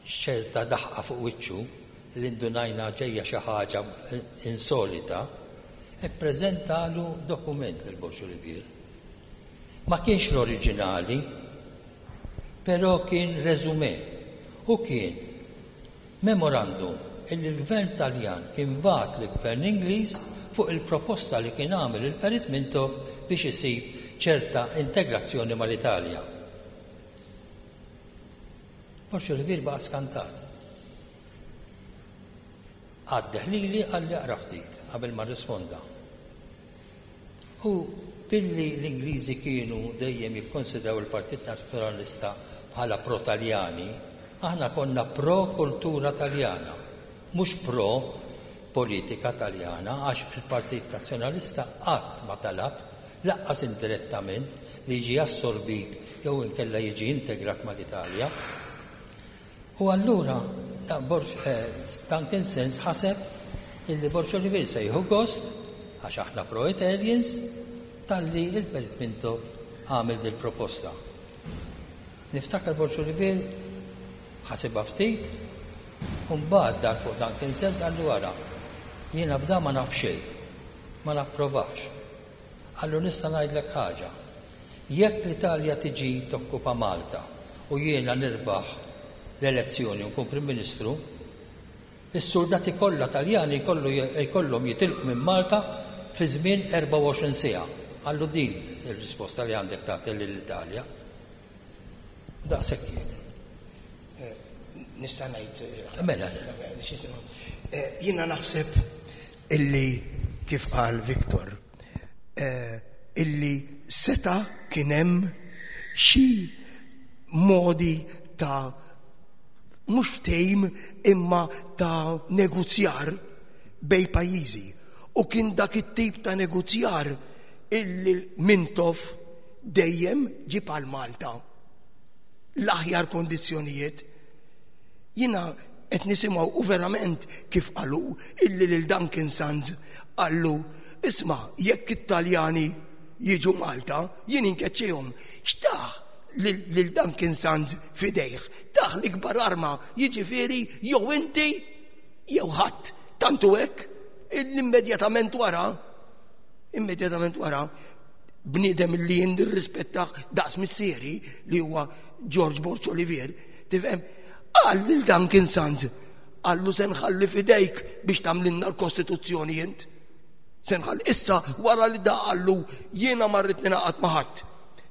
x'ċerta daħqa fuq wiċċu li ndunajna ġejja xi ħaġa insolita, ippreżentalu dokument lil Borg Olivier. Ma kienx l-oriġinali, però kien resume u kien Memorandum illi l-Gvern Taljan kien bagħat lill-Gvern Ingliż fuq il-proposta li kien għamel il-Perit Mintoff biex isib ċerta integrazzjoni mal-Italja. Borg Olivier baqa' skantat. Għaddeh lili qalli aqra ftit qabel ma rrisponda. U billi l-Ingliżi kienu dejjem jikkonsidraw il-Partit Nazzjonalista bħala pro-Taljani, aħna konna pro-kultura Taljana, mhux pro-politika Taljana għax il-Partit Nazzjonalista qatt ma talab, lanqas indirettament, li jiġi assorbit jew inkella jiġi integrat mal-Italja. U allura Duncan Sands ħaseb illi Borg Olivier se jieħu gost, għax aħna pro-Italians, talli il-Perit Mintoff għamel dil-proposta. Niftakar Borg Olivier ħasibha ftit, u mbagħad dar fuq Duncan Sands qallu ara, jiena b'da ma naf xejn, ma napprovax. Qallu nista' ngħidlek ħaġa, Jekk l-Italja tiġi tokkupa Malta u jiena nirbaħ l-elezzjoni u nkun Prim Ministru, is-suldati kollha Taljani jkollhom jitilqu minn Malta fi żmien 24 siegħa. Qallu din ir-risposta li għandek tagħti lill-Italja. U daqshekk kienet. Nista' ngħid. Mela. Jiena naħseb illi kif qal Victor, illi seta' kien hemm xi modi ta' mhux ftehim imma ta' negozjar bej pajjiżi. U kien dak it-tip ta' negozjar illi Mintoff dejjem ġib għal Malta l-aħjar kondizzjonijiet. Jiena qed nisimgħu u verament kif qalu illi lil Duncan Sands qallu isma' jekk it-Taljani jiġu Malta jien inkeċċihom. X'tah? lil Duncan Sands f'idejh. Tah l-ikbar arma, jiġifieri jew inti jew ħadd. Tant hu hekk illi immedjatament wara, immedjatament wara, bniedem li jien nirrispettah daqs missieri li huwa George Borg Olivier, tifhem, qal lil Duncan Sands, qallu se nħalli f'idejk biex tagħmlilna l-Kostituzzjoni int. Se nħalli issa wara li da qallu jiena ma rrid ningħaqad ma' ħadd.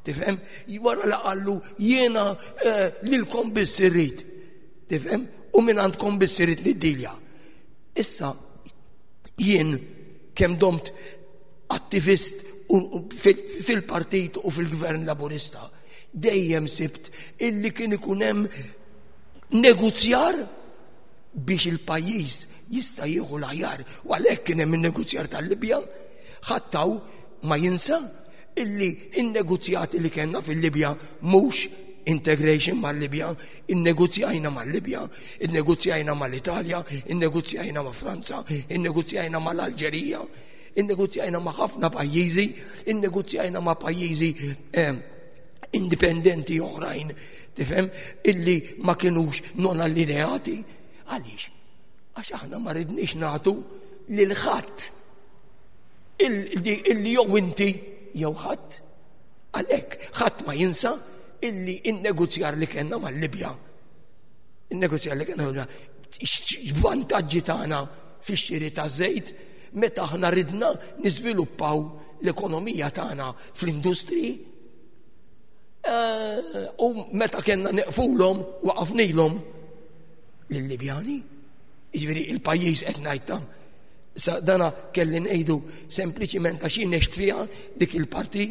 Tifhem? Wara li qallu jiena eh, lilkom biss irrid. Tifhem? U minn għandkom biss irrid niddilja. Issa jien kemm domt attivist fil-partit u fil-gvern laburista, dejjem sibt illi kien ikun hemm negozjar biex il-pajjiż jista' jieħu l-aħjar. U għalhekk kien hemm in-negozjar tal-Libja, ħadd hawn ma jinsa illi in-negozjati li kellna fil-Libja mhux integration mal-Libja, innegozjajna mal-Libja, innegozjajna mal-Italja, innegozjajna ma' Franza, innegozjajna mal-Alġerija, innegozjajna ma' ħafna pajjiżi, innegozjajna ma' pajjiżi eh, indipendenti oħrajn, tifhem, illi ma kinux non allineati. Għaliex? Għax aħna ma ridniex nagħtu lil ħadd illi jew inti jew ħadd. Għalhekk ħadd ma jinsa illi in-negozjar li kellna mal-Libja. In-negozjar li kellna mal-Libja x'vantaġġi tagħna fix-xiri taż-żejt meta aħna ridna niżviluppaw l-ekonomija tagħna fl-industriji eh, u meta kellna neqfulhom waqafnilhom lill-Libjani. Jiġifieri il-pajjiż qed ngħid ta' sa dana kelli ngħidu sempliċiment għax jien għext fiha dik il-parti,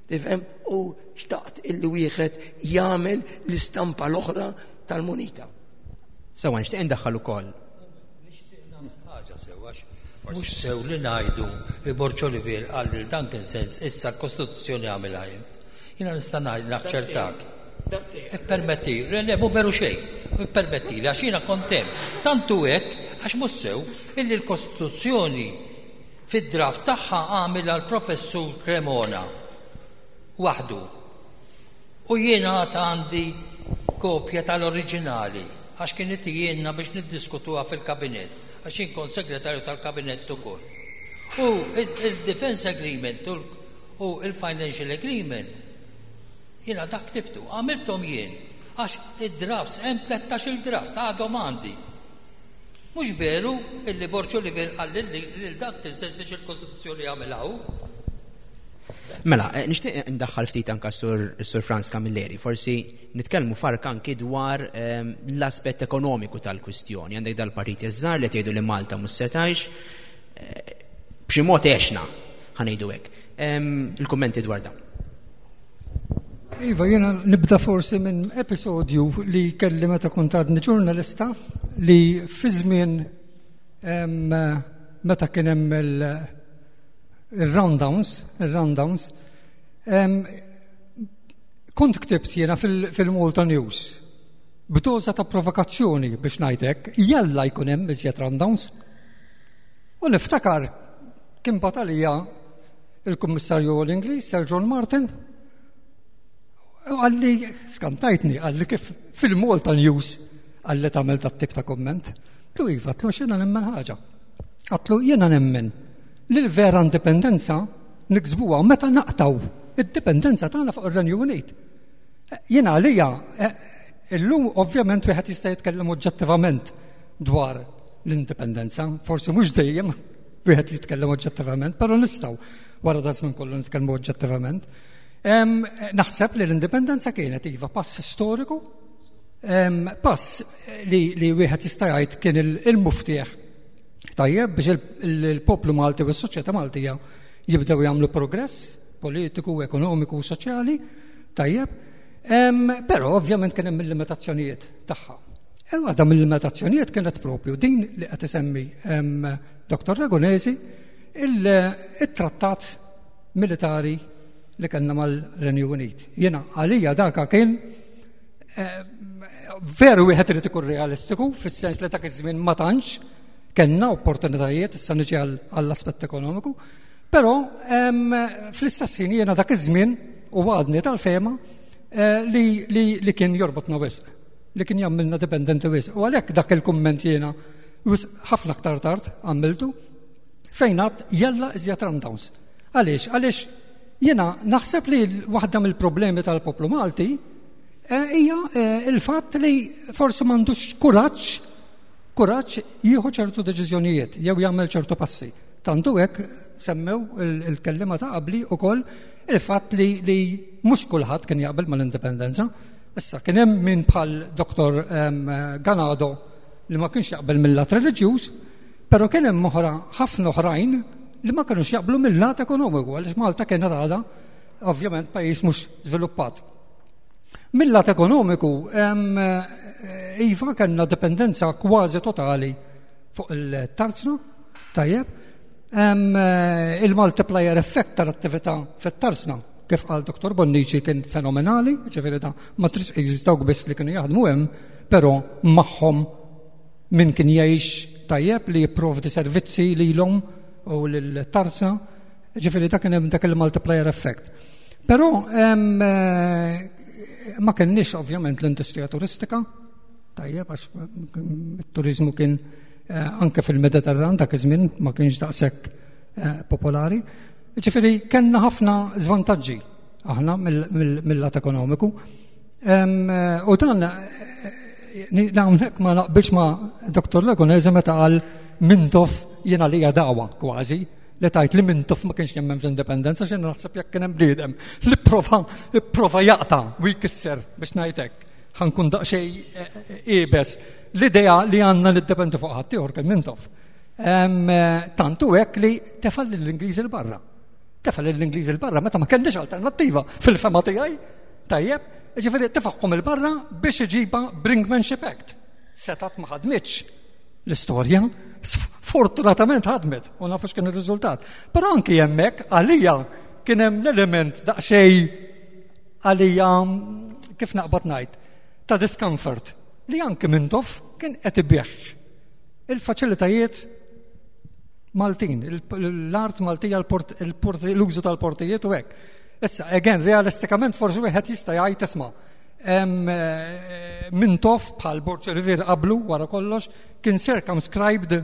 tifhem, u xtaqt illi wieħed jagħmel l-istampa l-oħra tal-munita. Sewa nixtieq indaħħal ukoll. Nixtieq nagħmel ħaġa sew għax mhux sew li ngħidu li Borg Olivier qal lil Duncan Sands issa l-Kostituzzjoni għamilha int. Jiena nista' ngħid naċċertak. Ippermetti, le, le, mhu veru xejn. Ippermetti li għax jiena kont hemm. Tant hu hekk għax mhux sew illi l-Kostituzzjoni fid-draft tagħha għamilha l-Professur Cremona waħdu. U jiena għad għandi kopja tal-oriġinali għax kien itijielna biex niddiskutuha fil-kabinett għax jien kont segretarju tal-kabinett ukoll. U il-Defense Agreement u il-Financial Agreement jiena dak ktibtu, għamilthom jien għax id-drafts hemm 13-il draft għadhom għandi. Mhux veru illi Borg Olivier qal lil dak tinsiex biex il-Kostituzzjoni jagħmilha hu. Mela, eh, nixtieq ndaħħal ftit anka sur, sur Franz Camilleri, forsi nitkellmu fark anki dwar ehm, l-aspett ekonomiku tal-kwistjoni. Għandek dal-partiti żgħar li tgħidu li Malta mhux se tgħix, eh, b'xi mod għexna, ħanejdu hekk. Ehm, il-kummenti dwar dan. Iva, jena nibda forsi minn episodju li kelli meta kont għadni ġurnalista li fi żmien meta kien hemm il-roundowns, il-roundowns, kont ktibt jiena fil-Malta News b'doża ta' provokazzjoni biex ngħidlek, jalla jkun hemm iżjed roundowns. U niftakar kien batalija il-Kummissarju l-Ingliż, Sir John Martin, għalli, skantajtni, għalli kif fil-Malta News għalli tagħmel dat tip ta' komment. Tlu iva, tlu xena nemmen ħaġa. Għatlu jena nemmen li l-vera indipendenza niksbuha meta naqtaw id-dipendenza tagħna fuq ir-Renju Unit. Jiena għalija eh, illum ovvjament wieħed jista' jitkellem oġġettivament dwar l-indipendenza, forsi mhux dejjem wieħed jitkellem oġġettivament, però nistgħu wara da żmien kollu nitkellmu oġġettivament. Naħseb li l-indipendenza kienet iva pass storiku, pass li, li wieħed jista' jgħid kien il-muftieħ tajjeb biex il-poplu Malti u s-soċjetà Maltija jibdew jagħmlu progress politiku, ekonomiku u soċjali tajjeb. Però ovvjament kien hemm il-limitazzjonijiet tagħha. E waħda mill-limitazzjonijiet kienet propju din li qed isemmi Dr. Ragonesi il-trattat militari li kellna mal-Renju Unit. Jiena għalija daka kien eh, veru wieħed irid ikun realistiku fis-sens li dak iż-żmien ma tantx kellna opportunitajiet issa niġi għall-aspett ekonomiku, però fl-istess ħin jiena dak iż-żmien u għadni tal-fema eh, li, li, li kien jorbotna wisq, li kien jagħmilna dipendenti wisq. U għalhekk dak il-kumment jiena ħafna aktar tard għamiltu fejn għad jalla iżjed rundowns. Għaliex? Għaliex jiena naħseb li waħda mill-problemi tal-poplu Malti eh, hija eh, il-fatt li forsi m'għandux kuraġġ kuraġġ jieħu ċertu deċiżjonijiet jew jagħmel ċertu passi. Tantu hekk semmew il-kellima ta' qabli ukoll il-fatt li, li mhux kulħadd kien jaqbel mal-indipendenza. Issa kien hemm min bħal Dr. Ganado li ma kienx jaqbel mill-lat reliġjuż, però kien hemm oħra ħafna oħrajn li ma kinux jaqblu mill-lat ekonomiku għaliex Malta kienet għadha ovvjament pajjiż mhux żviluppat. Mill-lat ekonomiku, iva kellna dipendenza kważi totali fuq il-tarzna, tajjeb, il-multiplier effect tal-attività fit-tarzna, kif qal Dr. Bonnici kien fenomenali, ġifieri da ma tridx dawk biss li kienu jaħdmu hemm, però magħhom min kien jgħix tajjeb li jipprovdi servizzi lilhom u lil-tarzna, ġifieri dak kien hemm dak il-multiplier effect. Però eh, ma kenniex ovvjament l-industrija turistika, tajjeb għax it-turizmu kien eh, anke fil-Mediterran dak iż-żmien ma kienx daqshekk eh, popolari. Ġifieri kellna ħafna żvantaġġi aħna mill-lat ekonomiku. U dan hawnhekk ma naqbilx ma' Dr. Lagunese meta qal Mintoff jiena li dawa kważi li tajt li Mintoff ma kienx jemmen fl-indipendenza xejn naħseb jekk kien hemm bniedem li prova prova jaqta' u jkisser biex ngħidlek ħankun daqsxejn eh, eh, iebes l-idea li għandna niddependu fuq ħaddieħor kien Mintoff. Eh, tantu hekk li tefal lill-Ingliżi l barra. Tefal lill-Ingliżi l barra meta ma kellix alternattiva fil-fema tiegħi. Tajjeb, ġifieri tefagħhom il barra biex iġiba Brinkmanship Act. Setat ma ħadmitx l-istorja, sfortunatament ħadmet u nafu x'kien ir-riżultat. Però anki hemmhekk għalija kien hemm l-element daqsxejn għalija kif naqbad ngħid ta' discomfort li anki Mintoff kien qed ibigħ il-faċilitajiet Maltin, l-art Maltija, l-użu tal-portijiet u hekk. Issa, again, realistikament forsi wieħed jista' jgħid isma' eh, Mintoff bħal Borg Rivier qablu wara kollox kien circumscribed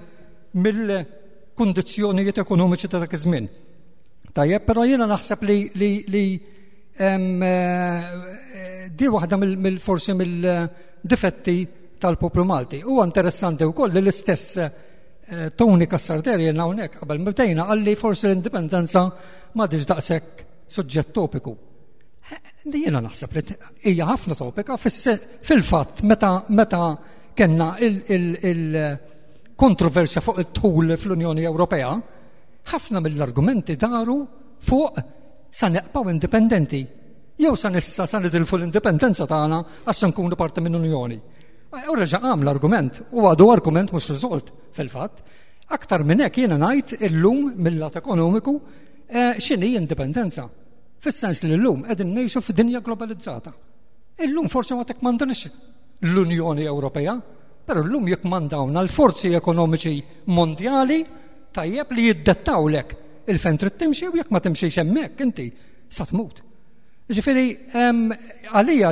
mill-kundizzjonijiet ekonomiċi ta' dak iż-żmien. Tajjeb, però jiena naħseb li li li eh, di waħda mill-forsi mill-difetti tal-poplu Malti. Huwa interessanti wkoll li l-istess eh, Tony Cassar Derio hawnhekk qabel bdejna qalli forsi l-indipendenza m'għadix daqshekk suġġett topiku. Eh, li jiena naħseb li hija ħafna topika fil-fatt meta meta kellna il-kontroversja fuq id-dħul fl-Unjoni Ewropea, ħafna mill-argumenti daru fuq sa neqpaw indipendenti jew sa nissa sa nitilfu l-indipendenza tagħna għax se nkunu parti minn Unjoni. U reġa' qam l-argument u għadu argument mhux riżolt fil-fatt. Aktar minn hekk jiena ngħid illum mill-lat ekonomiku eh, x'inhi indipendenza. Fis-sens li llum qegħdin ngħixu f'dinja globalizzata. Illum forsi ma tekkmandanix l-Unjoni Ewropea, però llum jikkmandawna l-forzi ekonomiċi mondjali tajjeb li jiddettawlek il-fejn trid timxi u jekk ma timxiex hemmhekk inti sa tmut. Ġifieri għalija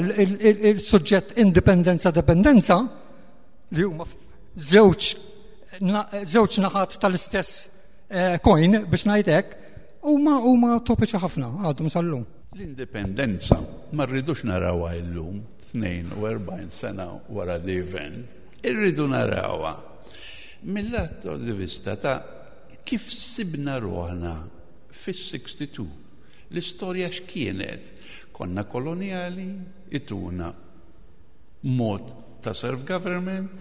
il-suġġett indipendenza dependenza li huma żewġ żewġ naħat tal-istess eh, coin biex ngħid hekk huma huma topiċi ħafna għadhom sal-lum. L-indipendenza ma rridux narawha illum 42 sena wara the event, irridu narawha mill-lat di vista ta' kif sibna ruħna fis-62. L-istorja x'kienet? Konna koloniali, ituna mod ta' self-government,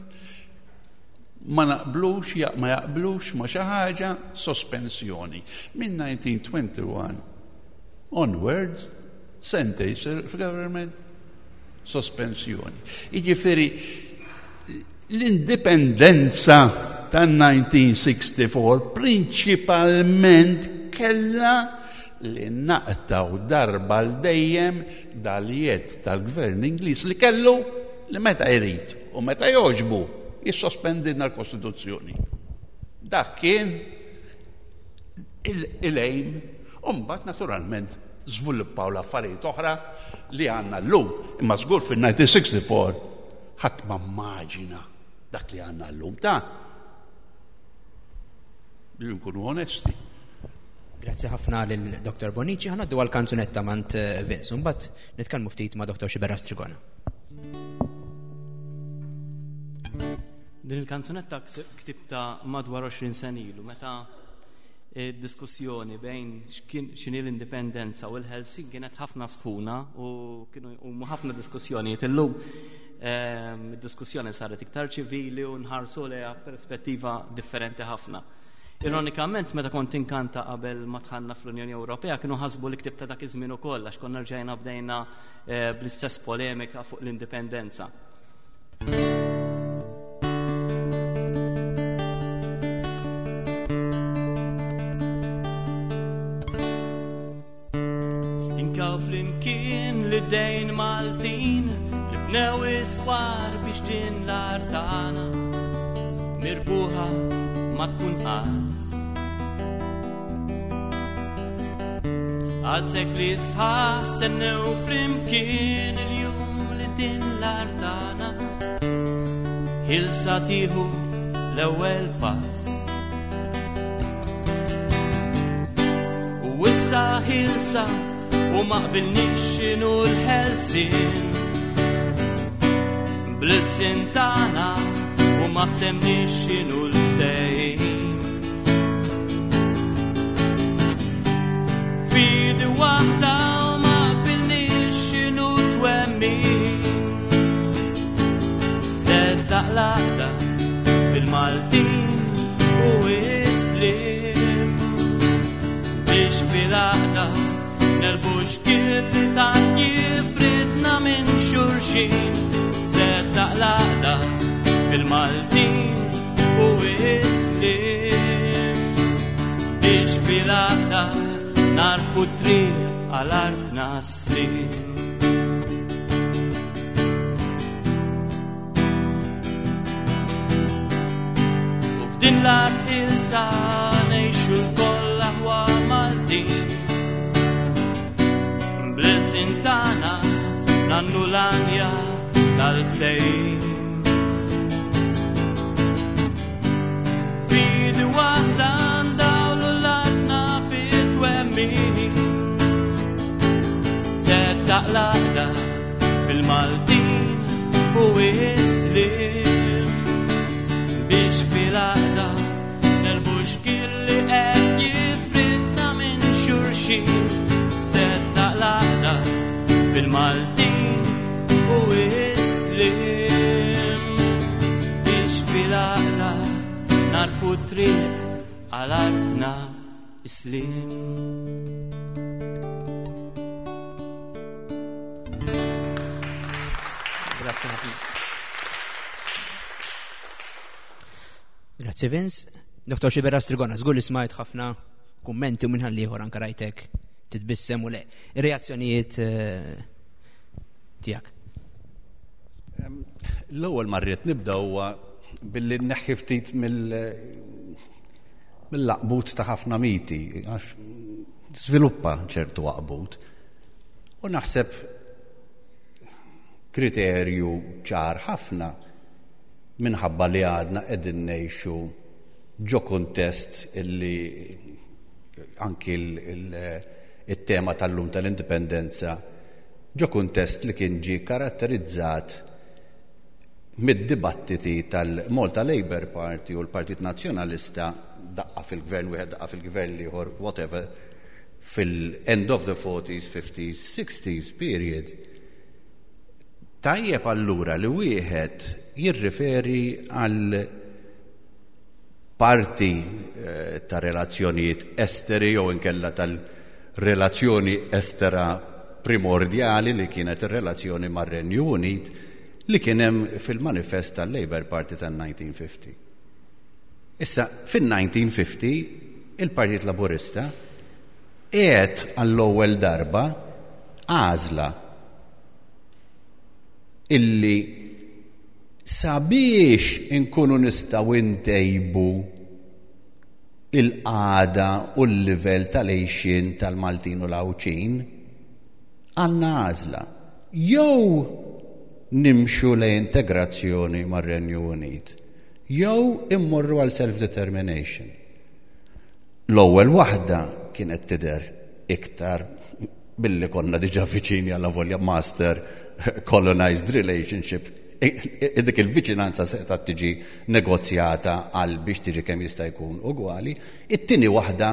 ma naqblux, ma jaqblux ma xi ħaġa, sospensjoni. Minn 1921 onwards, sentej self-government, sospensjoni. Jiġifieri l-indipendenza tan-1964 prinċipalment kella li naqtaw darba l dejjem dal-jedd tal-gvern Ingliż li kellu li meta jrid u meta joġbu jissospendilna l-Kostituzzjoni. Dak kien il-aim, u mbagħad naturalment. żviluppaw l-affarijiet oħra li għandna llum. Imma żgur fil-1964 ħadd ma mmaġina dak li għandna llum ta' li nkunu onesti. Grazzi ħafna lil Dr. Bonici, ħa ngħaddu għal kanzunetta mant eh, Vince, mbagħad nitkellmu ftit ma' Dr. Xibera Strigona. Din il-kanzunetta ktibta madwar 20 sen ilu meta diskussjoni bejn x'inhi l-indipendenza u l-Helsinki kienet ħafna sħuna u kienu huma ħafna diskussjonijiet illum. Ehm, id-diskussjoni saret iktar ċivili u nħarsu lejha perspettiva differenti ħafna. Ironikament, meta kont inkanta qabel ma tħanna fl-Unjoni Ewropea, kienu ħasbu li ktibta dak iż-żmien ukoll għax konna rġajna bdejna eh, bl-istess polemika fuq l-indipendenza. Stinkaw flimkien li dejn Maltin li bnew iswar biex din l-art tagħna mirbuħa ma tkun qatt. Għal sekli sħaħ stennew flimkien il-jum li din l-art tagħna ħilsa tieħu l-ewwel pass. U issa ħilsa u ma qbilniex x'inhu l-ħelsien. Bl-ilsien tagħna u ma ftemniex x'inhu l-ftehim. Fidi waħda u ma qbilniex x'inhu twemmin. Seddaq l-għaqda fil-Maltin u islim biex fil-għaqda nerbu xkil li tant jifridna minn xulxin. Seddaq l-għaqda fil-Maltin u islim biex fil-għaqda narfu triq għal artna slim. U f'din l-art ilsa ngħixu lkoll aħwa Maltin. Bl-ilsien tagħna nannu l-għanja tal-ftehim. Fidi waħda ndawlu l-artna fit-twemmin. Settaq l-għaqda fil-Maltin u islim biex fil-għaqda nerbu xkil li qed jifridna minn xulxin. Settaq l-għaqda fil-Maltin u islim biex fil-għaqda narfu triq għal artna islim. Grazie ħafna. Grazie Vince. Dr. Xibera Strigona, żgur li smajt ħafna kummenti u minnħan liħor anka rajtek titbissem u le. Ir-reazzjonijiet eh, tiegħek. L-ewwel ma rrid nibda huwa billi nneħħi ftit mill-laqbut ta' ħafna miti, għax żviluppa ċertu għaqbut. U naħseb kriterju ċar ħafna minħabba li għadna qegħdin ngħixu ġo kuntest illi anki il-tema tal-lum tal-indipendenza ġo kuntest li kien ġie karatterizzat mid-dibattiti tal-Malta Labour Party u l-Partit Nazzjonalista daqqa fil-gvern wieħed daqqa fil-gvern l-ieħor whatever fil-end of the 40s, 50s, 60s period. Tajjeb allura li wieħed jirriferi għal parti eh, ta' relazzjonijiet esteri jew inkella tal-relazzjoni estera primordjali li kienet ir-relazzjoni mar-Renju Unit li kien hemm fil-manifest tal-Labour Party tan-1950. Issa, fin-1950 il-Partit Laburista qiegħed għall-ewwel darba għażla illi sabiex inkunu nistgħu ntejbu il-qagħda u l-livell tal-għixien tal-Maltin u l-Għawdxin, għandna għażla. Jew nimxu lejn integrazzjoni mar-Renju Unit, jew immorru għal self-determination. L-ewwel waħda kienet tidher iktar billi konna diġà viċini allavolja master colonized relationship dik il-viċinanza setgħet tiġi negozjata għal biex tiġi kemm jista' jkun ugwali. It-tieni waħda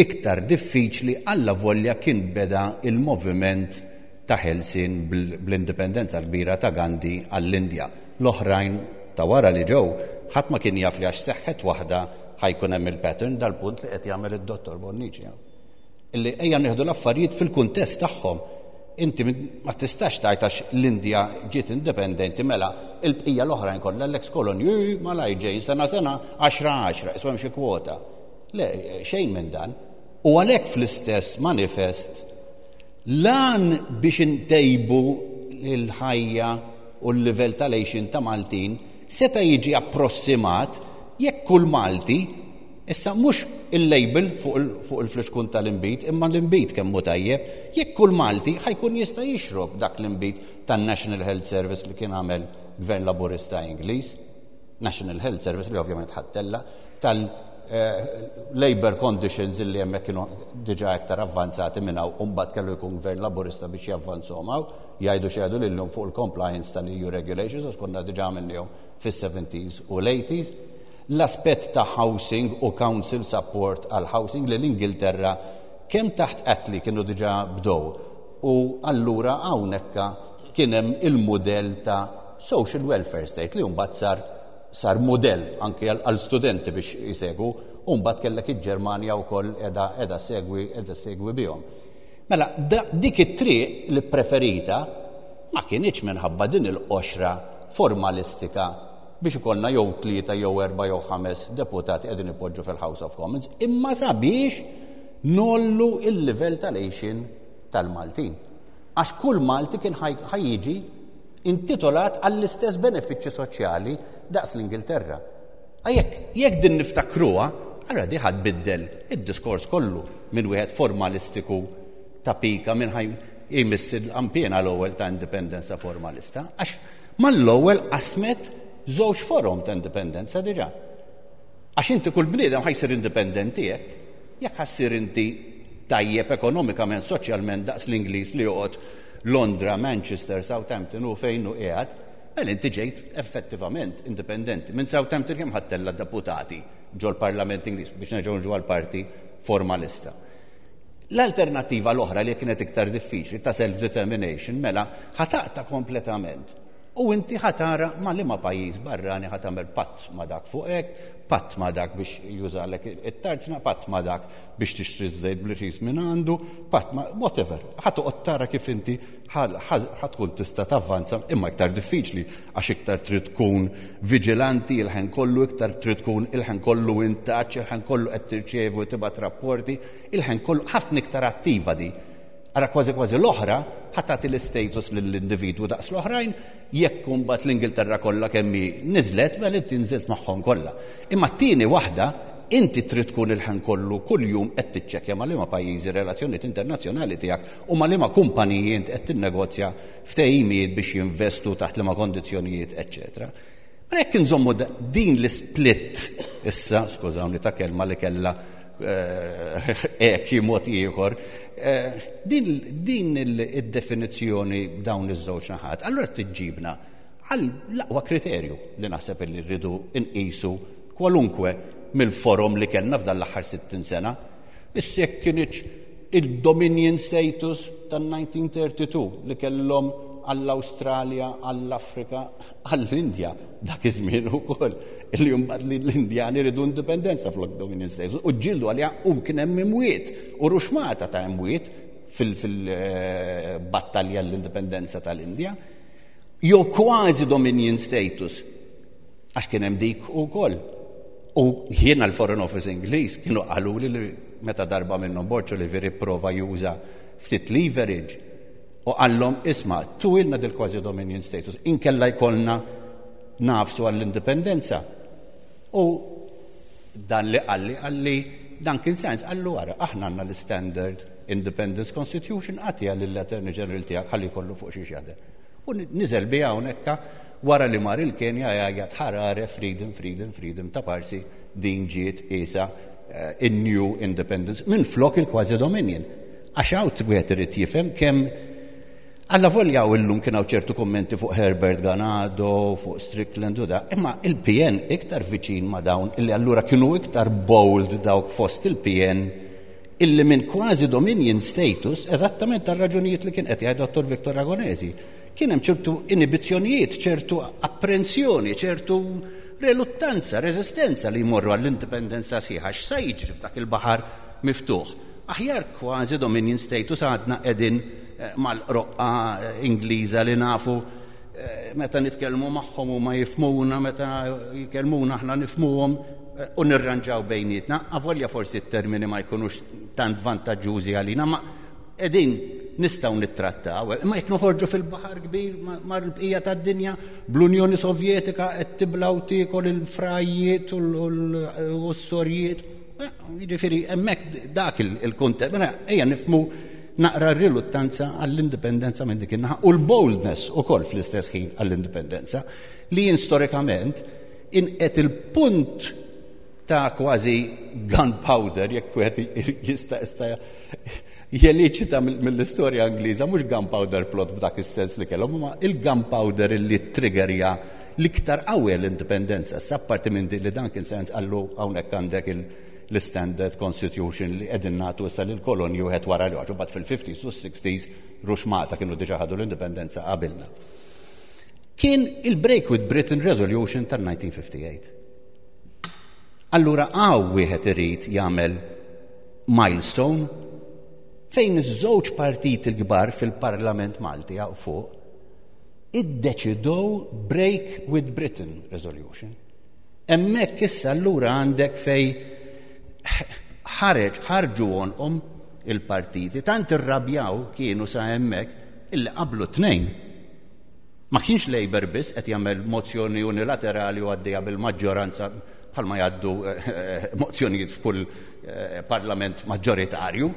iktar diffiċli allavolja kien beda il-moviment ta' ħelsien bl-indipendenza l-kbira ta' Gandhi għall-Indja. L-oħrajn ta' wara li ġew, ħadd ma kien jaf li għax seħħet waħda ħa jkun hemm il-pattern dal-punt li qed jagħmel id-Dottor Bonnici hawn. Illi ejja nieħdu l-affarijiet fil-kuntest tagħhom. Inti ma tistax tgħid għax l-Indja ġiet indipendenti mela il-bqija l-oħrajn kollha l-ex kolonji malajr ġejjin sena sena għaxra għaxra, isma' hemm xi kwota. Le, xejn minn dan. U għalhekk fl-istess manifest l-għan biex intejbu l-ħajja u l-livell tal-għixien ta' Maltin seta' jiġi approssimat jekk kull Malti, issa mhux il-label fuq il-flixkun tal-inbid, imma l-inbid kemm hu tajjeb, jekk kull Malti ħa jkun jista' jixrob dak l-inbid tan-National Health Service li kien għamel Gvern Laburista Ingliż, National Health Service li ovvjament ħattella, tal-labor conditions li hemmhekk kienu diġà iktar avvanzati minn hawn u mbagħad kellu jkun Gvern Laburista biex javvanzhom hawn, jgħidu x'jgħidu lilhom fuq il-compliance tal-EU regulations għax konna diġà għamilniehom fis-70s u l-80s. L-aspett ta' housing u council support għal housing li l-Ingilterra kemm taħt Attlee kienu diġà bdew u allura hawnhekk kien hemm il-mudell ta' social welfare state li mbagħad sar sar mudell anke għal studenti biex jsegwu u mbagħad kellek il-Ġermanja wkoll qiegħda qiegħda segwi qiegħda segwi bihom. Mela dik it-triq li preferita ma kinitx minħabba din il-qoxra formalistika biex ikollna jew 3 jew 4 jew 5 deputati qegħdin ipoġġu fil-House of Commons, imma sabiex ngħollu il-livell tal-għixien tal-Maltin. Għax kull Malti kien ħa jiġi intitolat għall-istess benefiċċji soċjali daqs l-Ingilterra. Jekk jekk din niftakruha, allura di ħa tbiddel id-diskors kollu minn wieħed formalistiku ta' pika minn ħaj jmiss il-qanpiena l-ewwel ta' indipendenza formalista, għax mal-ewwel qasmet żewġ forom ta' indipendenza diġà. Għax inti kull bniedem ħa jsir indipendenti hekk, jekk ħa ssir inti tajjeb ekonomikament, soċjalment daqs l-Ingliż li joqgħod Londra, Manchester, Southampton u fejn hu qiegħed, mela inti ġejt effettivament indipendenti. Minn Southampton kemm ħa ttella' deputati ġol-Parlament Ingliż biex nerġgħu niġu għall-parti formalista. L-alternattiva l-oħra li kienet iktar diffiċli ta' self-determination mela ħa taqta' kompletament u inti ħa tara ma' liema pajjiż barrani ħa tagħmel patt ma' dak fuq hekk, patt ma' dak biex jużalek it-tarzna, patt ma' dak biex tixtri ż-żejt bl-irħis minn għandu, patt ma' whatever. Ħa toqgħod tara kif inti ħa tkun tista' tavvanza, imma iktar diffiċli għax iktar trid tkun viġilanti il-ħin kollu, iktar trid tkun il-ħin kollu in touch, il-ħin kollu qed tirċievi u tibgħat rapporti, il-ħin kollu ħafna iktar attiva di. Ara kważi kważi l-oħra ħa tagħti l-istatus lill-individwu daqs l-oħrajn, jekk imbagħad l-Ingilterra kollha kemm hi niżlet, mela inti nżilt magħhom kollha. Imma t-tieni waħda, inti trid tkun il-ħin kollu kuljum qed tiċċekkja ma' liema pajjiżi relazzjonijiet internazzjonali tiegħek u ma' liema kumpaniji int qed tinnegozja ftehimiet biex jinvestu taħt liema kondizzjonijiet, eċċetera. Mela jekk inżommu din l-isplit issa, skużawni ta' kelma li kellha hekk mod ieħor, din id-definizzjoni dawn iż-żewġ naħat, allura tiġġibna għal l-aqwa kriterju li naħseb li rridu nqisu kwalunkwe mill-forom li kellna f'dan l-aħħar 60 sena. Issa jekk kinitx il-Dominion status tan-1932 li kellhom għall-Awstralja, għall-Afrika, għall-Indja dak iż-żmien ukoll li mbagħad li l-Indjani ridu indipendenza flok Dominion status u ġġieldu għaliha u kien hemm imwiet u ruxmata ta' imwiet fil-battalja l-indipendenza tal-Indja. Jew kważi Dominion status għax kien hemm dik ukoll. U jiena l-Foreign Office Ingliż kienu qaluli li meta darba minnhom Borg Olivier ipprova juża ftit leverage u qallhom isma' tuwilna dil kważi Dominion status inkella jkollna nafsu għall-indipendenza. U Dan li qalli, qalli Duncan Sandys, qallu ara, aħna għandna l-Standard Independence Constitution, agħtiha lill-Attorney General tiegħek ħalli jkollu fuq xiex jaħdem. U niżel biha hawnhekk wara li mar il-Kenja jgħajjat ħarare freedom, freedom, freedom ta' parsi din ġiet qiesha eh, in-New Independence minflok il-Quasi Dominion. Għax hawn wieħed irid jifhem kemm Allavolja u illum kien hawn ċertu kummenti fuq Herbert Ganado, fuq Strickland u da, imma il-PN iktar viċin ma' dawn illi allura kienu iktar bold dawk fost il-PN illi minn kważi dominion status, eżattament tar-raġunijiet li kien qed jgħid Dottor Victor Ragonesi, kien hemm ċertu inibizzjonijiet, ċertu apprensjoni, ċertu reluttanza, reżistenza li jmorru għall-indipendenza sħiħa. X'sa jiġri f'dak il-baħar miftuħ? Aħjar kważi dominion status għadna qegħdin eh, mal-qroqqa eh, Ingliża li nafu eh, meta nitkellmu magħhom u ma jifhmuna, meta jkellmuna aħna nifhmuhom u nirranġaw bejnietna, avolja forsi t-termini ma jkunux tant vantaġġużi għalina, ma qegħdin nistgħu nittrattaw, imma jekk noħorġu fil-baħar kbir mal-bqija tad-dinja bl-Unjoni Sovjetika qed tibla u tiekol il-frajiet u s-sorjiet. Jiġifieri hemmhekk dak il-kuntest, mela ejja nifhmu naqra r-riluttanza għall-indipendenza minn dik in-naħa u l-boldness ukoll fl-istess ħin għall-indipendenza li jien storikament inqed il-punt ta' kważi gunpowder jekk wieħed jista' jista' jeliċita mill-istorja Ingliża mhux gunpowder plot b'dak is-sens li kellhom, imma il-gunpowder illi triggerja l-iktar qawwi l-indipendenza. Issa apparti minn din li Duncan Sandys qallu hawnhekk għandek l-Standard Constitution li qegħdin nagħtu issa lill-kolonji wieħed wara l-ieħor. Imbagħad fil-50s u s-60s ruxmata kienu diġà ħadu l-indipendenza qabilna. Kien il-Break with Britain Resolution tal-1958. Allura għaw wieħed irid jagħmel milestone fejn iż-żewġ partiti l-kbar fil-Parlament Malti hawn fuq iddeċidew Break with Britain Resolution. Hemmhekk issa allura għandek fej ħareġ ħarġu għonqhom il-partiti, tant irrabjaw kienu sa hemmhekk illi qablu tnejn. Ma kienx Labour biss qed jagħmel mozzjoni unilaterali u għaddejja bil-maġġoranza bħalma jgħaddu eh, mozzjonijiet f'kull eh, parlament maġġoritarju.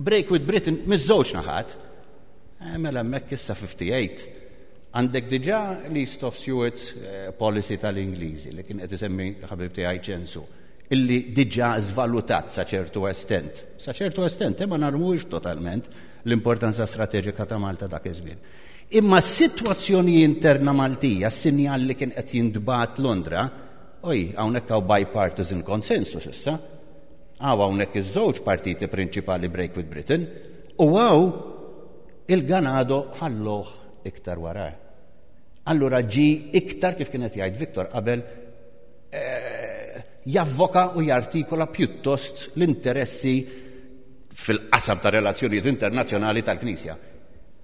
Break with Britain miż-żewġ naħat. Eh, mela hemmhekk issa 58 għandek diġà l-East of Suez policy tal-Ingliżi li kien qed isemmi ħabib tiegħi ċensu illi diġà żvalutat sa ċertu estent. Sa ċertu estent, imma narmux totalment l-importanza strateġika ta' Malta dak iż-żmien. Imma s-sitwazzjoni interna Maltija, s-sinjal li kien qed jintbagħat Londra, oj, hawnhekk hawn bipartisan consensus issa. Hawn hawnhekk iż-żewġ partiti prinċipali Break with Britain u hawn il-Ganado ħalluh iktar wara. Allura ġi iktar kif kien qed jgħid Viktor qabel eh, javvoka u jartikola pjuttost l-interessi fil-qasam ta' relazzjonijiet internazzjonali tal-Knisja.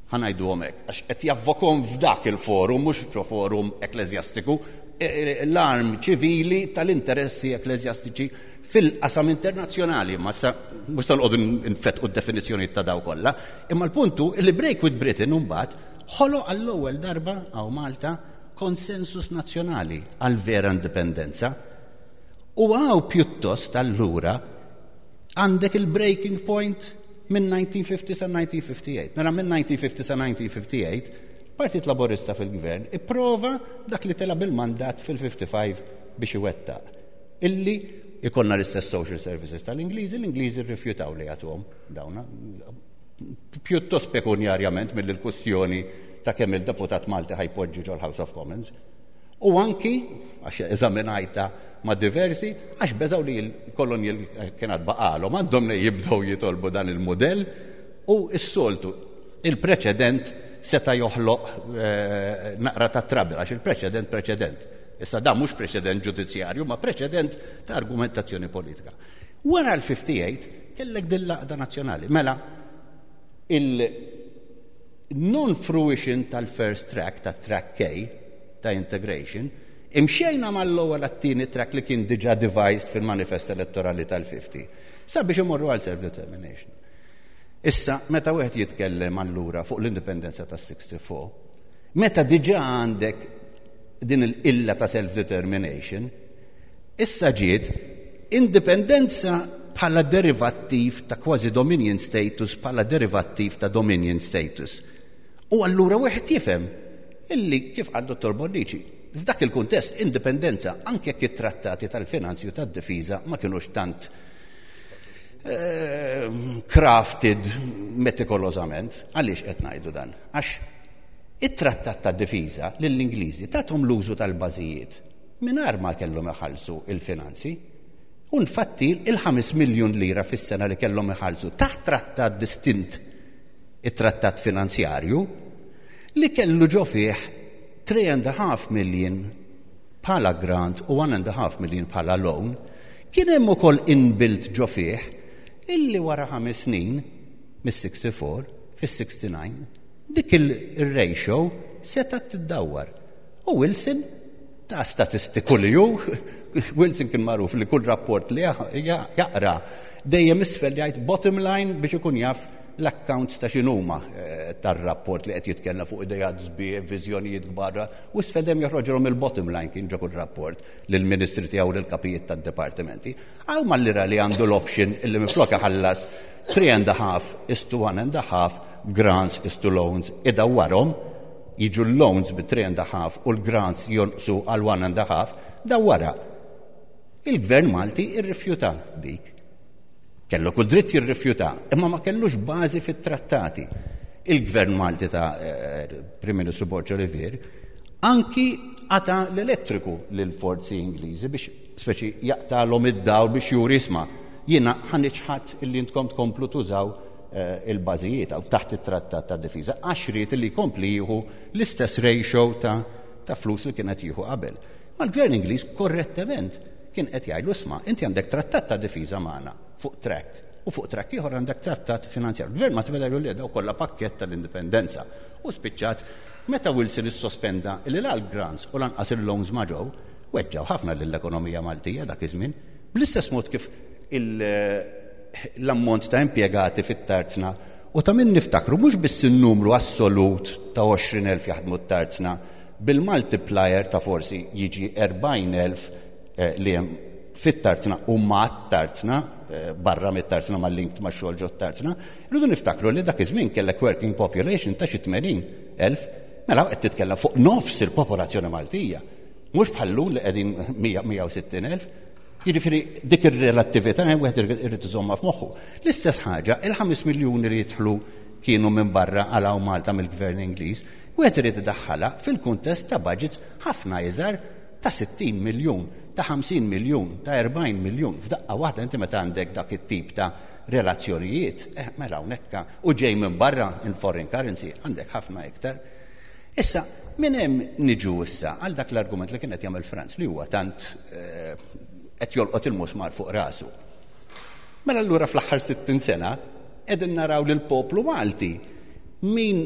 Ħa ngħiduhom hekk, għax qed javvokhom f'dak il-forum, mhux ġo forum ekkleżjastiku, e, e, l-arm ċivili tal-interessi ekkleżjastiċi fil-qasam internazzjonali, ma sa mhux se noqogħdu nfettqu d-definizzjonijiet ta' daw kollha, imma l-puntu li Break with Britain imbagħad ħoloq għall-ewwel darba hawn Malta konsensus nazzjonali għal vera indipendenza. U hawn pjuttost allura għandek il-breaking point minn 1950 sa 1958. Mela minn 1950 sa 1958, Partit Laburista fil-gvern ipprova dak li tela bil-mandat fil-55 biex iwettaq. Illi ikonna l-istess social services tal-Ingliżi, l-Ingliżi rrifjutaw li jagħtuhom dawna. Pjuttost pekunjarjament mill l-kustjoni ta' kemm il-deputat Malti ħa jpoġġi ġol-House of Commons. U anki, għax eżaminajta ma' diversi, għax beżaw li l-kolonji kien għad baqalhom għandhom li jibdew jitolbu dan il-mudell u s-soltu il-preċedent seta' joħloq eh, naqra ta' trouble għax il-preċedent preċedent. Issa dan mhux preċedent ġudizzjarju, ma preċedent ta' argumentazzjoni politika. Wara l-58 kellek din l-għaqda nazzjonali. Mela, il- non-fruition tal-first track, ta' track K, ta' integration, imxejna mal-ewwel għat-tieni track li kien diġà devised fil-manifest elettorali tal-50, sabiex imorru għal self-determination. Issa, meta wieħed jitkellem allura fuq l-indipendenza tas-64, meta diġà għandek din il-illa ta' self-determination, issa ġiet Indipendenza bħala derivattiv ta' kważi dominion status bħala derivattiv ta' dominion status. U allura wieħed jifhem illi kif qal Dottor Bonnici, f'dak il-kuntest indipendenza anke jekk it-trattati tal-finanzi u tad-difiża ma kinux tant eh, crafted metikolożament. Għaliex qed ngħidu dan? Għax it-trattat tad-difiża lill-Ingliżi tathom l-użu tal-bażijiet mingħajr ma kellhom iħallsu il-finanzi. U nfatti il-5 miljun lira fis-sena li kellhom iħallsu taħt trattat distint it-trattat finanzjarju li kellu ġo fih 3.5 million bħala grant u 1.5 million bħala loan, kien hemm ukoll inbuilt ġo fih illi wara ħames snin mis-64 fis-69 dik il-ratio setgħet tiddawwar. U Wilson ta' statistiku li hu, Wilson kien magħruf li kull rapport li jaqra dejjem isfel jgħid bottom line biex ikun jaf l-accounts ta' x'inhuma eh, tar-rapport li qed jitkellem fuq idejat sbieħ, viżjonijiet kbar, u isfel dejjem joħroġilhom il-bottom line kien ġo kull rapport lill-ministri tiegħu lill-kapijiet tad-dipartimenti. Hawn mal-lira li għandu l-option illi minflok iħallas 3 and a half is to 1 and a half grants is to loans idawwarhom jiġu l-loans bi 3 and a half u l-grants jonqsu għal 1 and a half, dawwarha. Il-Gvern Malti irrifjuta dik. Kellu kull dritt jirrifjuta, imma ma kellux bażi fit-trattati. Il-Gvern Malti ta' eh, Prim Ministru Borg Olivier anki qata l-elettriku lill-forzi Ingliżi biex speċi jaqtalhom id-dawl biex juri isma' jiena ħa niċħad illi intkom tkomplu tużaw eh, il-bażijiet għaw taħt it-trattat ta' difiża għax ried li jkompli jieħu l-istess ratio ta' ta' flus li kienet jieħu qabel. Ma l-gvern Ingliż korrettement kien qed jgħidlu isma' inti għandek trattat ta' difiża magħna fuq track u fuq track ieħor għandek trattat finanzjarju. L-gvern ma tibeda jgħidu li daw kollha pakkett tal-indipendenza. U spiċċat meta Wilson issospenda li la l-grants u lanqas il-loans ma ġew, weġġaw ħafna lill-ekonomija Maltija dak iż-żmien. Bl-istess mod kif l-ammont ta' impjegati fit-tarzna u ta' min niftakru mhux biss in-numru assolut ta' 20,000 jaħdmu t-tarzna bil-multiplier ta' forsi jiġi 40,000 eh, li hemm fit-tarzna u ma' tarzna eh, barra mit-tarzna ma' linked ma' xogħol ġo tarzna, irridu niftakru li dak iż-żmien kellek working population ta' xi 80,000, mela qed titkellem fuq nofs il-popolazzjoni Maltija. Mhux bħal-lum li qegħdin 160,000. Jiġifieri dik ir-relattività wieħed irid iżommha f'moħħu. L-istess ħaġa, il-5 miljuni li jidħlu kienu minn barra għal hawn Malta mill-Gvern Ingliż, wieħed irid idaħħalha fil-kuntest ta' budgets ħafna iżgħar ta' 60 miljun, ta' 50 miljun, ta' 40 miljun. F'daqqa waħda inti meta għandek dak it-tip ta' relazzjonijiet, eh, mela hawnhekk u ġej minn barra in foreign currency għandek ħafna iktar. Issa, minn hemm niġu issa għal dak l-argument li kien qed jagħmel Franz li huwa tant eh, qed jolqot il-musmar fuq rasu. Mela allura fl-aħħar 60 sena qegħdin naraw lil poplu Malti min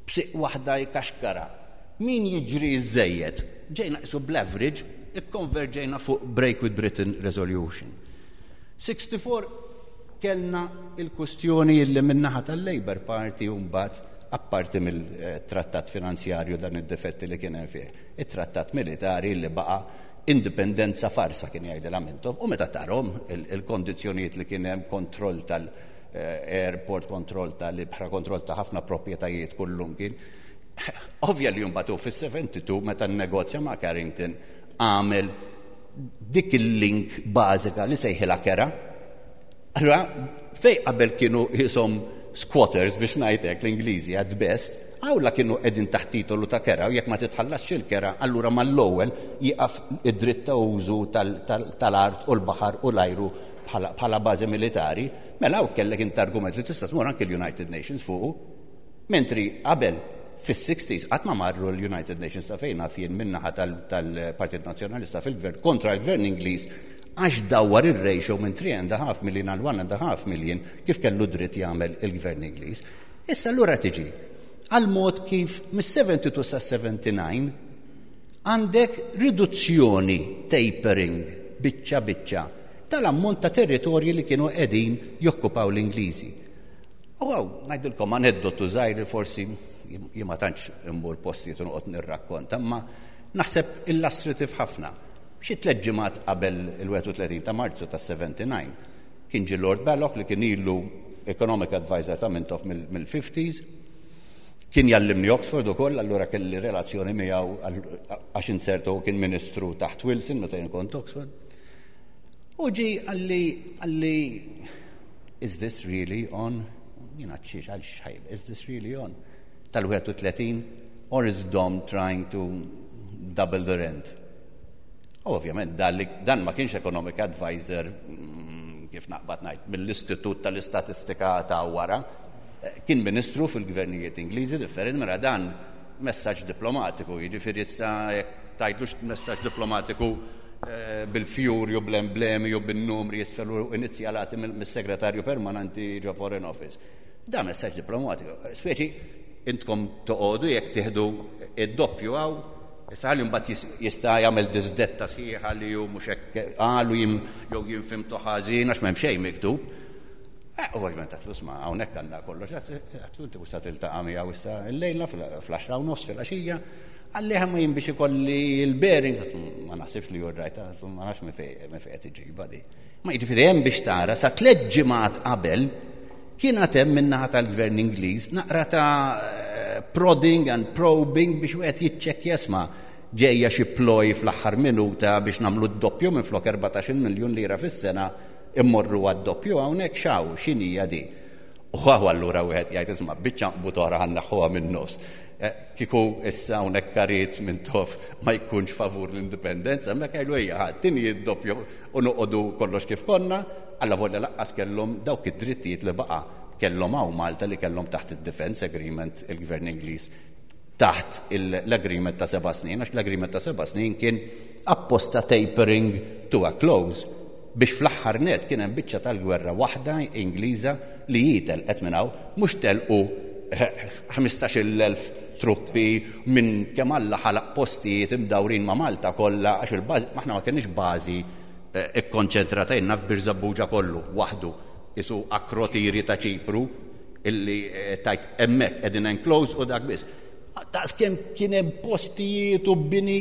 b'siq waħda jkaxkara, min jiġri żejjed. Ġejna qisu bl-average, ikkonverġejna fuq Break with Britain Resolution. 64 kellna il-kustjoni illi min-naħa tal-Labour Party mbagħad apparti mill-trattat finanzjarju dan id-difetti li kien hemm fih, it-trattat militari li baqa' indipendenza farsa kien jgħidilha Mintoff u meta tarhom il-kondizzjonijiet li kien hemm kontroll tal-airport, kontroll tal-ibħra, kontroll ta' ħafna proprjetajiet kullum kien. Ovvja li mbagħad hu fis-72 meta nnegozja ma' Carrington għamel dik il-link bażika li sejħilha kera. Allura, fej qabel kienu jisom squatters biex ngħidlek l-Ingliżi at best, għawla kienu qegħdin taħt titolu ta' kera u jekk ma titħallasx il-kera, allura mal-ewwel jieqaf id-dritt ta' użu tal-art u l-baħar u l-ajru bħala bażi militari, mela hawn kellek int argument li tista' tmur anke l-United Nations fuqu. Mentri qabel fis-60s qatt ma marru l-United Nations ta' fejn naf jien min-naħa tal-Partit Nazzjonalista fil-gvern kontra l-gvern Ingliż għax dawwar ir-ratio minn 3.5 million għal 1.5 million kif kellu dritt jagħmel il-gvern Ingliż. Issa allura tiġi għal mod kif mis-72 sa 79 għandek riduzzjoni tapering biċċa biċċa tal-ammont ta' territorji li kienu qegħdin jokkupaw l-Ingliżi. U għaw, ngħidilkom aneddotu żgħir li forsi jien ma tantx immur postijiet u noqgħod nirrakkonta, imma naħseb illustrative ħafna. Xi tlett ġimgħat qabel il-31 ta' Marzu tas-79 kien ġie Lord Balloch li kien ilu economic advisor ta' Mintoff mill-50s. Kien jallimni Oxford ukoll, allura kelli relazzjoni miegħu għax inzerta hu kien ministru taħt Wilson meta jien kont Oxford. U ġi qalli qalli is this really on? Jien għadxiex għal xħajb, is this really on? Tal-31 or is Dom trying to double the rent? U ovvjament dan ma kienx economic advisor mm, kif naqbad ngħid mill-Istitut tal-Istatistika ta' wara, eh, kien ministru fil-gvernijiet Ingliżi differenti mela dan messaġġ diplomatiku, jiġifieri issa jekk tgħidlux messaġġ diplomatiku eh, bil-fjuri u bl-emblemi u bin-numri isfel u inizjalati mis-segretarju permanenti ġo Foreign Office. Da messaġġ diplomatiku. Speċi intkom toqogħdu jekk tieħdu id-doppju hawn Issa ħalli mbagħad jista' jagħmel disdetta sħiħa li hu mhux hekk qalu jien jew jien fimtu ħażin għax m'hemm xejn miktub. Eh, u ovvjament għatlu sma' hawnhekk għandna kollox, għatlu inti mhux se tiltaqa' miegħu issa llejla fl-10 u nofs filgħaxija. Qalli ma jien biex ikolli l-bearings, ma naħsibx li you're right, ma nafx minn fejn qed iġibha di. Ma jiġifieri hemm biex tara sa tliet ġimgħat qabel Kien għad hemm min-naħa tal-Gvern Ingliż naqra ta' prodding and probing biex wieħed jiċċekkja isma' ġejja xi ploy fl-aħħar minuta biex nagħmlu d-doppju minflok 14-il miljun lira fis-sena immorru għad-doppju hawnhekk x'hawn x'inhija di. U hawn allura wieħed jgħid isma' biċċa nqbut oħra ħa nneħħuha min-nofs. Eh, kieku issa hawnhekk karit minn tof ma jkunx favur l-indipendenza, hemmhekk jgħidu ejja ħa tini d-doppju u noqogħdu kollox kif konna, allavolja lanqas kellhom dawk id-drittijiet li baqa' kellhom hawn Malta li kellhom taħt id-Defence Agreement il-Gvern Ingliż taħt l-agreement ta' seba' snin, għax l-agreement ta' seba' snin kien apposta tapering to a close biex fl-aħħar net kien hemm biċċa tal-gwerra waħda Ingliża li hi telqet minn hawn, mhux telqu 15,000 truppi minn kemm Alla ħalaq postijiet imdawrin ma' Malta kollha għax il-bażi aħna ma kenniex bażi eh, ikkonċentrata jenna f'Birżebbuġa kollu waħdu isu akrotiri ta' Ċipru illi eh, tajt hemmhekk qegħdin enclosed u dak biss. Daqs kemm kien hemm postijiet u bini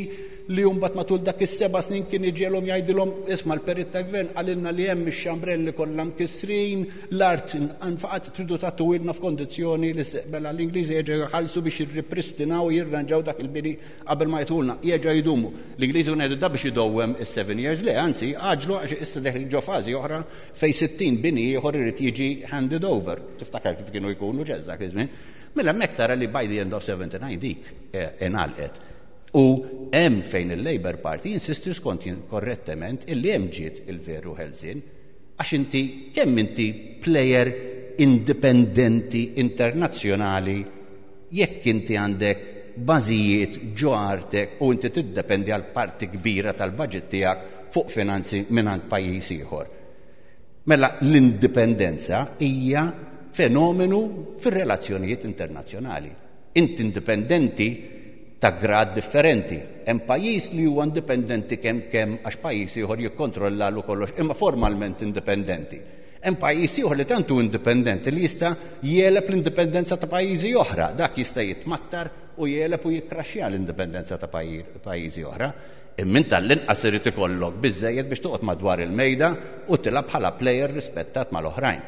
li mbagħad matul dak is-seba' snin kien iġiegħlhom jgħidilhom isma' l-perit tal-gvern qalilna li hemm ix-xambrelli kollha mkissrin, l-art nfaqat tridu tagħtuhilna f'kondizzjoni li mela l-Ingliżi jerġgħu jħallsu biex jirripristinaw u jirranġaw dak il-bini qabel ma jagħtuhulna. Jerġgħu jdumu. L-Ingliżi kienu jgħidu da biex idowwem is-seven years le, anzi għaġlu għax issa deħlin ġo fażi oħra fejn 60 bini ieħor irid jiġi handed over. Tiftakar kif kienu jkunu ġeż dak iż-żmien. Mela hemmhekk tara li by the end of 79 dik eh, ingħalqet. U hemm fejn il-Labour Party jinsisti skont jien korrettement illi hemm ġiet il-veru ħelsien għax inti kemm inti player indipendenti internazzjonali jekk inti għandek bażijiet ġo artek u inti tiddependi għal parti kbira tal-budget tiegħek fuq finanzi mingħand pajjiż ieħor. Mela l-indipendenza hija fenomenu fir-relazzjonijiet internazzjonali. Inti indipendenti ta' grad differenti. Hemm pajjiż li huwa indipendenti kemm kemm għax pajjiż ieħor jikkontrollalu kollox imma formalment indipendenti. Hemm pajjiż ieħor li tant hu indipendenti li jista' jegħleb l-indipendenza ta' pajjiżi oħra. Dak jista' jitmattar u jegħleb u jikkraxxja l-indipendenza ta' pajjiżi oħra. Imma int tal-inqas irid ikollok biżżejjed biex toqgħod madwar il-mejda u tilgħab bħala plejer rispettat mal-oħrajn.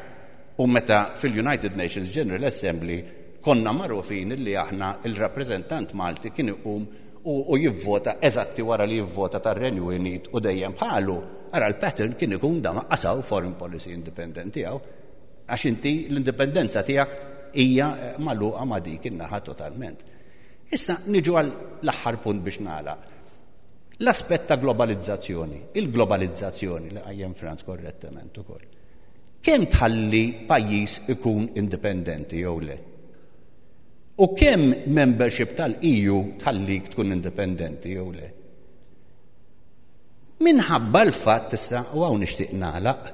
U meta fil-United Nations General Assembly konna magħrufin illi aħna il-rappreżentant Malti kien iqum u jivvota eżatti wara li jivvota tar-Renju Unit u dejjem bħalu, ara l-pattern kien ikun da ma qasaw foreign policy independent tiegħu għax inti l-indipendenza tiegħek hija magħluqa ma' dik in-naħa totalment. Issa niġu għal l-aħħar punt biex nagħlaq. L-aspett ta' globalizzazzjoni, il-globalizzazzjoni li qajjem Franz korrettement ukoll. Kemm tħalli pajjiż ikun indipendenti jew le? U kemm membership tal-EU tħallik tkun indipendenti jew le? Minħabba l-fatt issa u hawn nixtieq nagħlaq,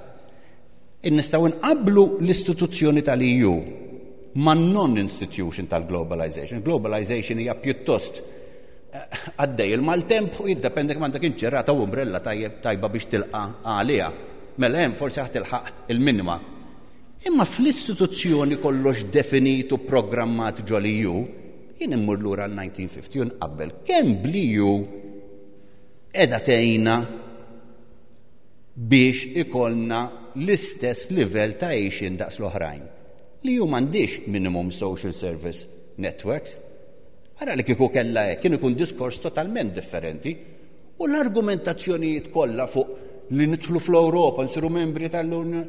nistgħu nqabblu l-istituzzjoni tal-EU ma' non-institution tal-globalization. Globalization hija pjuttost eh, għaddej il-maltemp u jiddependi kemm għandek inċerata u umbrella tajjeb tajba biex tilqa' għaliha. Mela hemm forsi ħa tilħaq il-minima. Imma fl-istituzzjoni kollox definit u programmat ġol-EU, jien immur lura l-1950 u nqabbel kemm bl-EU. qiegħda tgħinna biex ikollna l-istess livell ta' għixien daqs l-oħrajn. L-EU m'għandhiex minimum social service networks. Ara li kieku kellha hekk, kien ikun diskors totalment differenti. U l-argumentazzjonijiet kollha fuq li nidħlu fl-Ewropa, nsiru membri tal-Unjoni,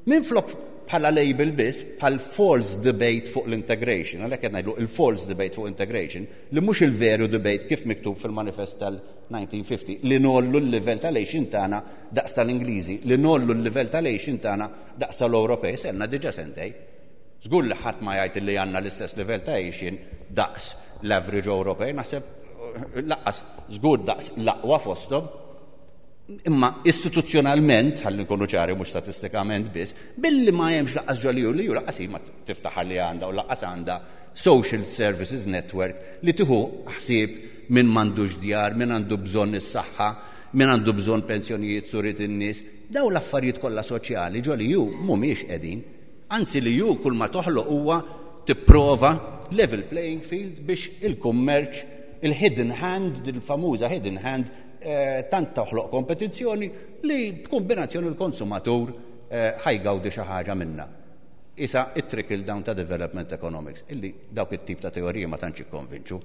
minflok bħala label biss, bħal false debate fuq l-integration, għalhekk qed ngħidlu il-false debate fuq integration, li mhux il-veru debate kif miktub fil-manifest tal-1950, li ngħollu l-livell tal-għixien tagħna daqs tal-Ingliżi, li ngħollu l-livell tal-għixien tagħna daqs tal-Ewropej, selna diġà sentej. Żgur li ħadd ma jgħid li għandna l-istess livell ta' għixien daqs l-average Ewropej, naħseb laqqas żgur daqs l-aqwa fosthom. Imma istituzzjonalment, ħalli nkunu ċari mhux statistikament biss, billi ma hemmx laqqas ġo li ju laqqas hi ma tiftaħar li għandha u laqqas għandha social services network li tieħu ħsieb min m'għandux djar, min għandu bżonn is-saħħa, min għandu bżonn pensjonijiet surit in-nies. Daw l-affarijiet kollha soċjali ġo li ju mhumiex qegħdin. Anzi li ju kull ma toħloq huwa tipprova level playing field biex il-kummerċ, il-hidden hand, il-famuża hidden hand, eh, tant toħloq kompetizzjoni li b'kombinazzjoni l-konsumatur eh, ħajgawdi xi ħaġa minnha. Isa it-trickle down ta' development economics, illi dawk it-tip ta' teoriji ma tantx jikkonvinċu.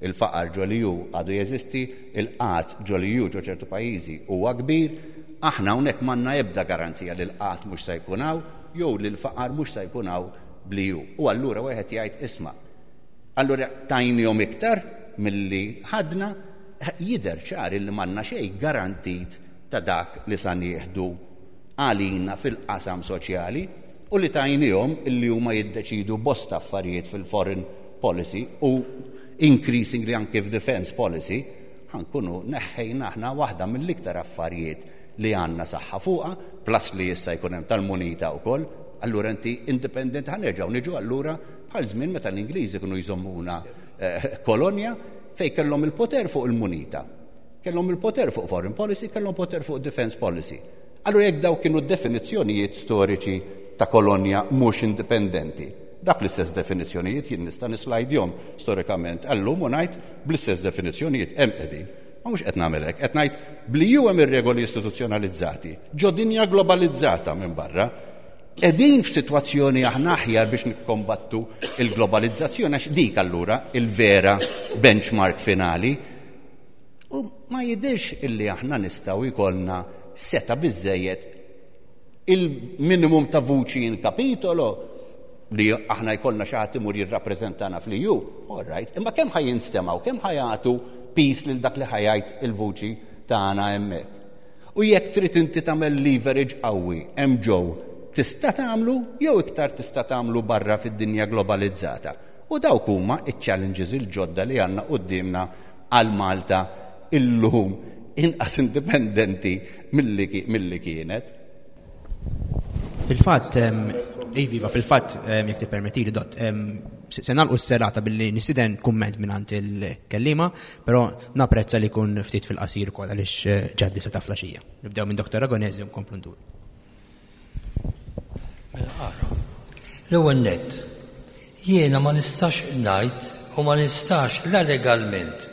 Il-faqar ġo l-EU għadu jeżisti, il-qgħad ġo l-EU ġo ċertu pajjiżi huwa kbir, aħna hawnhekk m'għandna ebda garanzija li l-qgħad mhux se jkun hawn jew li l-faqar mhux se jkun hawn bl-EU. U allura wieħed jgħid isma' allura tajnihom iktar milli ħadna, jidher ċar illi m'għandna xejn garantit ta' dak li sa nieħdu għalina fil-qasam soċjali u li tajnihom illi huma jiddeċidu bosta affarijiet fil-foreign policy u increasingly anke f'defense policy, ħa nkunu neħħejna aħna waħda mill-iktar affarijiet li għandna saħħa fuqha, plus li issa jkun hemm tal-munita wkoll, allura inti independent ħa nerġgħu niġu allura bħal żmien meta l-Ingliżi kienu jżommuna eh, kolonja fejn kellhom il-poter fuq il-munita. Kellhom il-poter fuq foreign policy, kellhom poter fuq defense policy. Allura jekk dawk kienu definizzjonijiet storiċi ta' kolonja mhux indipendenti, dak l-istess definizzjonijiet jien nista' nislajdjhom storikament għallum u ngħid bl-istess definizzjonijiet hemm qegħdin. Ma mhux qed nagħmel hekk, qed ngħid bli ju hemm ir-regoli istituzzjonalizzati ġo dinja globalizzata minn barra. Qegħdin f'sitwazzjoni aħna aħjar biex nikkombattu il-globalizzazzjoni għax dik allura il-vera benchmark finali. U ma jidhirx illi aħna nistgħu jkollna seta' biżżejjed il-minimum ta' vuċi in kapitolo li aħna jkollna xi ħadd imur jirrappreżentana fl-EU, all right, imma kemm ħa jinstemgħu, kemm ħa jagħtu piż lil dak li ħa jgħid il-vuċi tagħna hemmhekk. U jekk trid inti tagħmel leverage qawwi hemm ġew, tista' tagħmlu jew iktar tista' tagħmlu barra fid-dinja globalizzata. U dawk huma iċ-challenges il-ġodda li għandna quddiemna għal Malta illum inqas indipendenti milli kienet. Fil-fatt, iva, fil-fatt, jekk tippermettili, dott, se nagħlqu s-serata billi nistieden kumment mingħand il-kellima, però napprezza li jkun ftit fil-qasir ukoll għaliex eh, ġaddi sa ta' flaxija. Nibdew minn Dr. Ragonesi u nkomplu ndur. Mela ara. L-ewwel nett, jiena ma nistax ngħid u ma nistax la legalment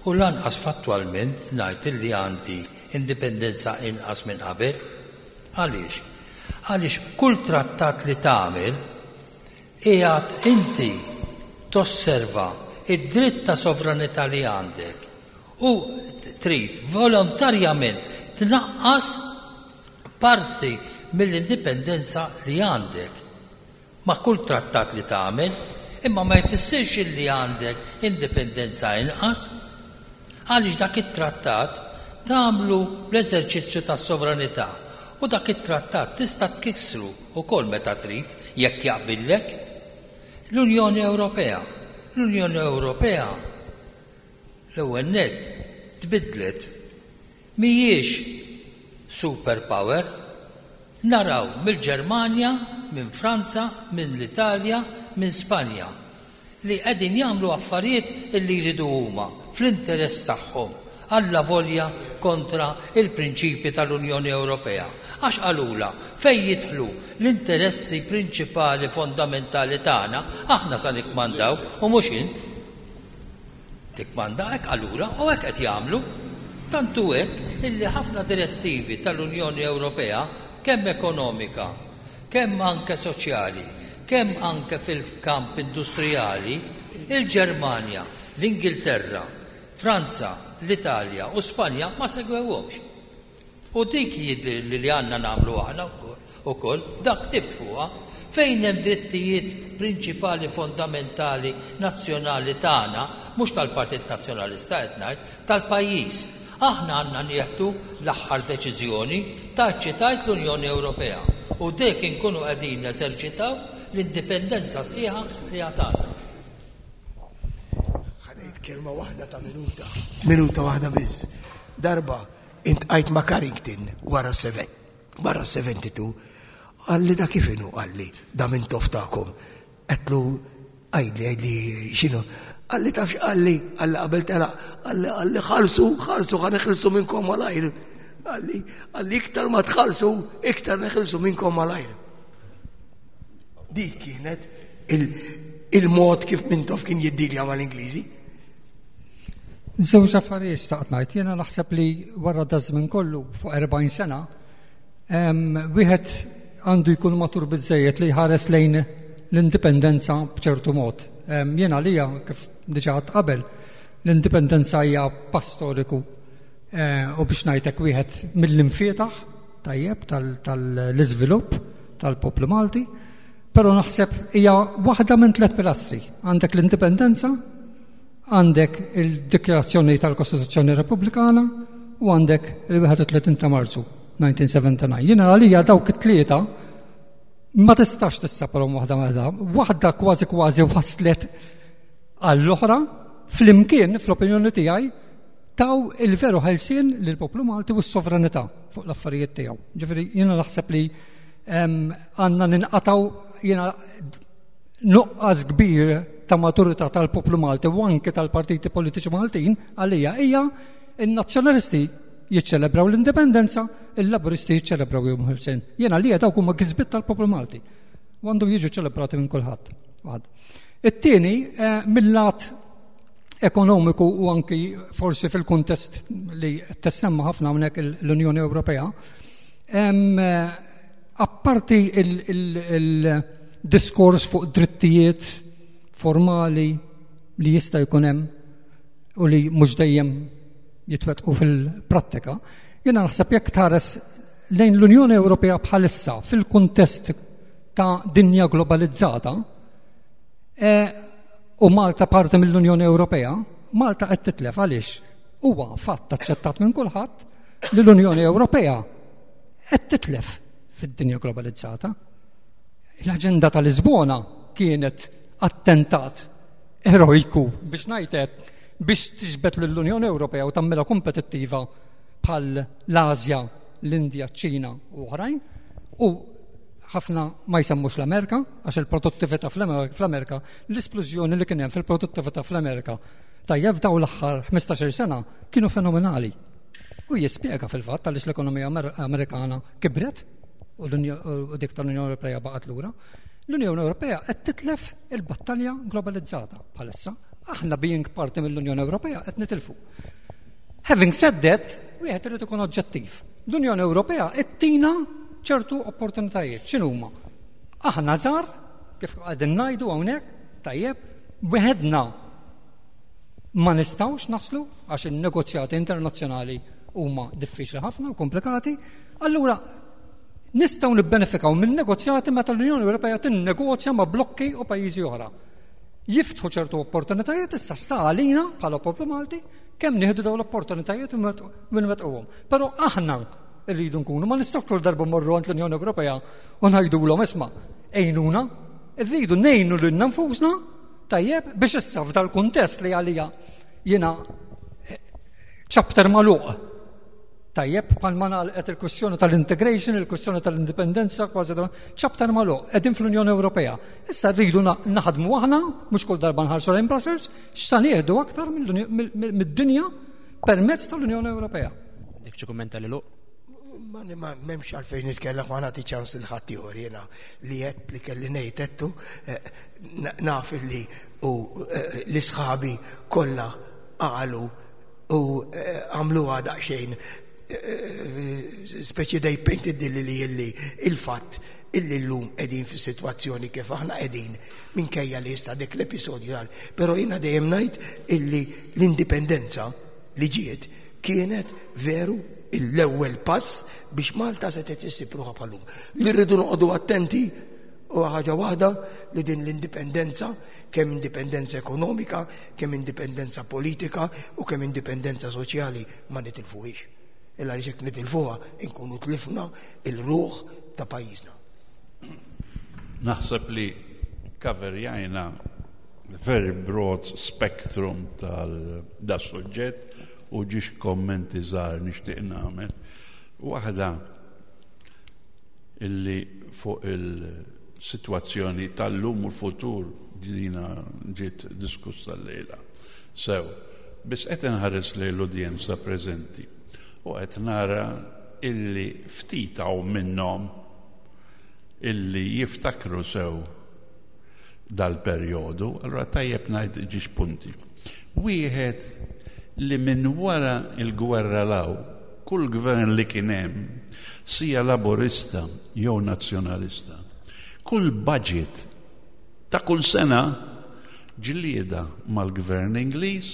u lanqas fattwalment ngħid illi għandi indipendenza inqas minn qabel. Għaliex? Għaliex kull trattat li tagħmel qiegħed inti tosserva id-dritt ta' sovranità li għandek u trid volontarjament tnaqqas parti mill-indipendenza li għandek ma' kull trattat li tagħmel, imma ma jfissirx illi għandek indipendenza inqas. Għaliex dak it-trattat tagħmlu bl-eżerċizzju tas-sovranità u dak it-trattat tista' tkissru wkoll meta trid jekk jaqbillek. L-Unjoni Ewropea. L-Unjoni Ewropea l-ewwel nett tbiddlet Mhijiex super power. Naraw mill-Ġermanja, minn Franza, minn l-Italja, minn Spanja li qegħdin jagħmlu affarijiet illi jridu huma, fl-interess tagħhom, allavolja kontra il-prinċipji tal-Unjoni Ewropea. Għax qalulha, fejn jidħlu l-interessi prinċipali fondamentali tagħna, aħna sa nikkmandaw u mhux int. Tikkmanda hekk qalulha u hekk qed jagħmlu. Tant hu hekk illi ħafna direttivi tal-Unjoni Ewropea, kemm ekonomika, kemm anke soċjali, kemm anke fil-kamp industrijali, il-Ġermanja, l-Ingilterra, Franza, l-Italja u Spanja ma segwewhomx. U dik jidhirli li għandna nagħmlu aħna wkoll, dak ktibt fuqha, fejn hemm drittijiet prinċipali fondamentali nazzjonali tagħna, mhux tal-Partit Nazzjonalista qed ngħid, tal-pajjiż. Aħna għandna nieħdu l-aħħar deċiżjoni, tgħid xi tgħid l-Unjoni Ewropea, u dek inkunu qegħdin neżerċitaw l-indipendenza sħiħa li għad għandna. Ħa ngħid kelma waħda ta' minuta, minuta waħda biss. Darba Intqajt ma' Carrington wara wara 72, qalli da kif inhu qalli da Mintoff tagħkom. Għedtlu għidli għidli x'inhu. Qalli taf x'qalli, qalli qabel telaq, qalli qalli ħalsu, ħalsu ħa neħilsu minnkom malajr. Qalli qalli iktar ma tħallsu, iktar neħilsu minnkom malajr. Dik kienet il-mod kif Mintoff kien jiddilja mal-Ingliżi. Żewġ affarijiet xtaqt ngħid. Jiena naħseb li wara da żmien kollu fuq 40 sena, wieħed għandu jkun matur biżejjed li jħares lejn l-indipendenza b'ċertu mod. Jiena għalija kif diġà għadt qabel, l-indipendenza hija pass storiku eh, u biex ngħidlek wieħed mill-imfietaħ tajjeb tal-iżvilupp tal-poplu Malti, però naħseb hija waħda minn tliet pilastri. Għandek l-indipendenza, Għandek il-Dikjarazzjoni tal-Kostituzzjoni Repubblikana u għandek il-31 ta' Marzu 1979. Jiena għalija dawk it-tlieta ma tistax tissaparhom waħda waħda, waħda kważi kważi waslet għall-oħra flimkien fl-opinjoni tiegħi taw il-veru ħelsien lill-poplu Malti u s-sovranità fuq l-affarijiet tiegħu. Ġifieri jiena naħseb li għandna ninqataw jiena nuqqas kbir ta' maturità tal-poplu Malti u anke tal-partiti politiċi Maltin għalija hija n-nazzjonalisti jiċċelebraw l-indipendenza, il-laburisti jiċċelebraw jum ħelsien. Jien għalija dawk huma kisbiet tal-poplu Malti. U għandhom jiġu ċelebrati minn kulħadd. It-tieni eh, mill-lat ekonomiku u anki forsi fil-kuntest li tessemma ħafna hawnhekk l-Unjoni Ewropea, eh, Apparti il-diskors fuq drittijiet formali li jista' jkun hemm u li mhux dejjem jitwettqu fil-prattika, jiena naħseb jekk tħares lejn l-Unjoni Ewropea bħalissa fil-kuntest ta' dinja globalizzata e, u Malta parti mill-Unjoni Ewropea, Malta qed titlef għaliex huwa fatt aċċettat minn kulħadd li l-Unjoni Ewropea qed titlef fid-dinja globalizzata. L-aġenda ta' Lisbona kienet attentat erojku biex ngħidlek biex tiġbed lill-Unjoni Ewropea u tagħmilha kompetittiva bħal l-Asja, l-Indja, ċ-Ċina u oħrajn u ħafna ma jsemmux l-Amerika għax il-produttività fl-Amerika, l-isplużjoni li kien hemm fil-produttività fl-Amerika tajjeb f'dawn l-aħħar 15-il sena kienu fenomenali. U jispjega fil-fatt għaliex l-ekonomija Amerikana kibret u dik tal-Unjoni Ewropea baqgħet lura. L-Unjoni Ewropea qed titlef il-battalja globalizzata bħalissa. Aħna being parti mill-Unjoni Ewropea qed nitilfu. Having said that, wieħed irid ikun oġġettiv. L-Unjoni Ewropea qed tina ċertu opportunitajiet. X'inhuma? Aħna żgħar, kif qegħdin ngħidu hawnhekk, tajjeb, weħedna Ma nistgħux naslu għax in-negozjati internazzjonali huma diffiċli ħafna u komplikati, allura nistgħu nibbenefikaw minn negozjati meta l-Unjoni Ewropea tinnegozja ma' blokki u pajjiżi oħra. Jiftħu ċertu opportunitajiet issa sta għalina bħala poplu Malti kemm nieħdu dawn l-opportunitajiet u nwettquhom. Però aħna rridu nkunu ma nistgħux kull darba morru għand l-Unjoni Ewropea u ngħidulhom isma' għinuna, rridu ngħinu lilna nfusna Tajjeb, biex issa f'dal-kuntest li għalija jiena eh, chapter magħluq. Tajjeb, bħalma nagħlqet il-kwistjoni tal-integration, il-kwistjoni tal-indipendenza, kważi chapter magħluq, qegħdin fl-Unjoni Ewropea. Issa rridu naħdmu aħna, mhux kull darba nħarsu lejn Brussels, x'sa nieħdu aktar mid-dinja permezz tal-Unjoni Ewropea. Dik xi kummenta li luq? Ma m'hemmx għalfejn nitkellem ma nagħti ċans lil ħaddieħor jiena li għedt li kelli ngħid għedtu eh, naf li u eh, l-isħabi kollha qalu U eh, għamluha daqsxejn eh, speċi they painted li li illi il-fatt illi llum qegħdin fis-sitwazzjoni kif aħna qegħdin minkejja li issa dik l-episodju għal. Però jiena dejjem ngħid illi l-indipendenza li ġiet kienet veru l-ewwel pass biex Malta setgħet issib ruħha bħal-lum. Li rridu noqogħdu attenti u ħaġa waħda li din l-indipendenza, kemm indipendenza ekonomika, kemm indipendenza politika u kemm indipendenza soċjali ma nitilfuhiex. Illa li jekk nitilfuha inkunu tlifna il-ruħ ta' pajjiżna. Naħseb li kaverjajna very broad spectrum tal-da suġġett u ġiex kommenti żgħar nixtieq nagħmel. Waħda illi fuq il-sitwazzjoni tal-lum u l-futur dina ġiet diskussa llejla. Sew, biss qed inħares lejn l-udjenza preżenti u qed nara illi ftit hawn minnhom illi jiftakru sew dal-perjodu, allura tajjeb ngħid ġiex punti. Wieħed li minn wara l-gwerra 'l hawn, kull gvern li kien hemm, sija Laburista jew Nazzjonalista, kull budget ta' kull sena ġlieda mal-gvern Ingliż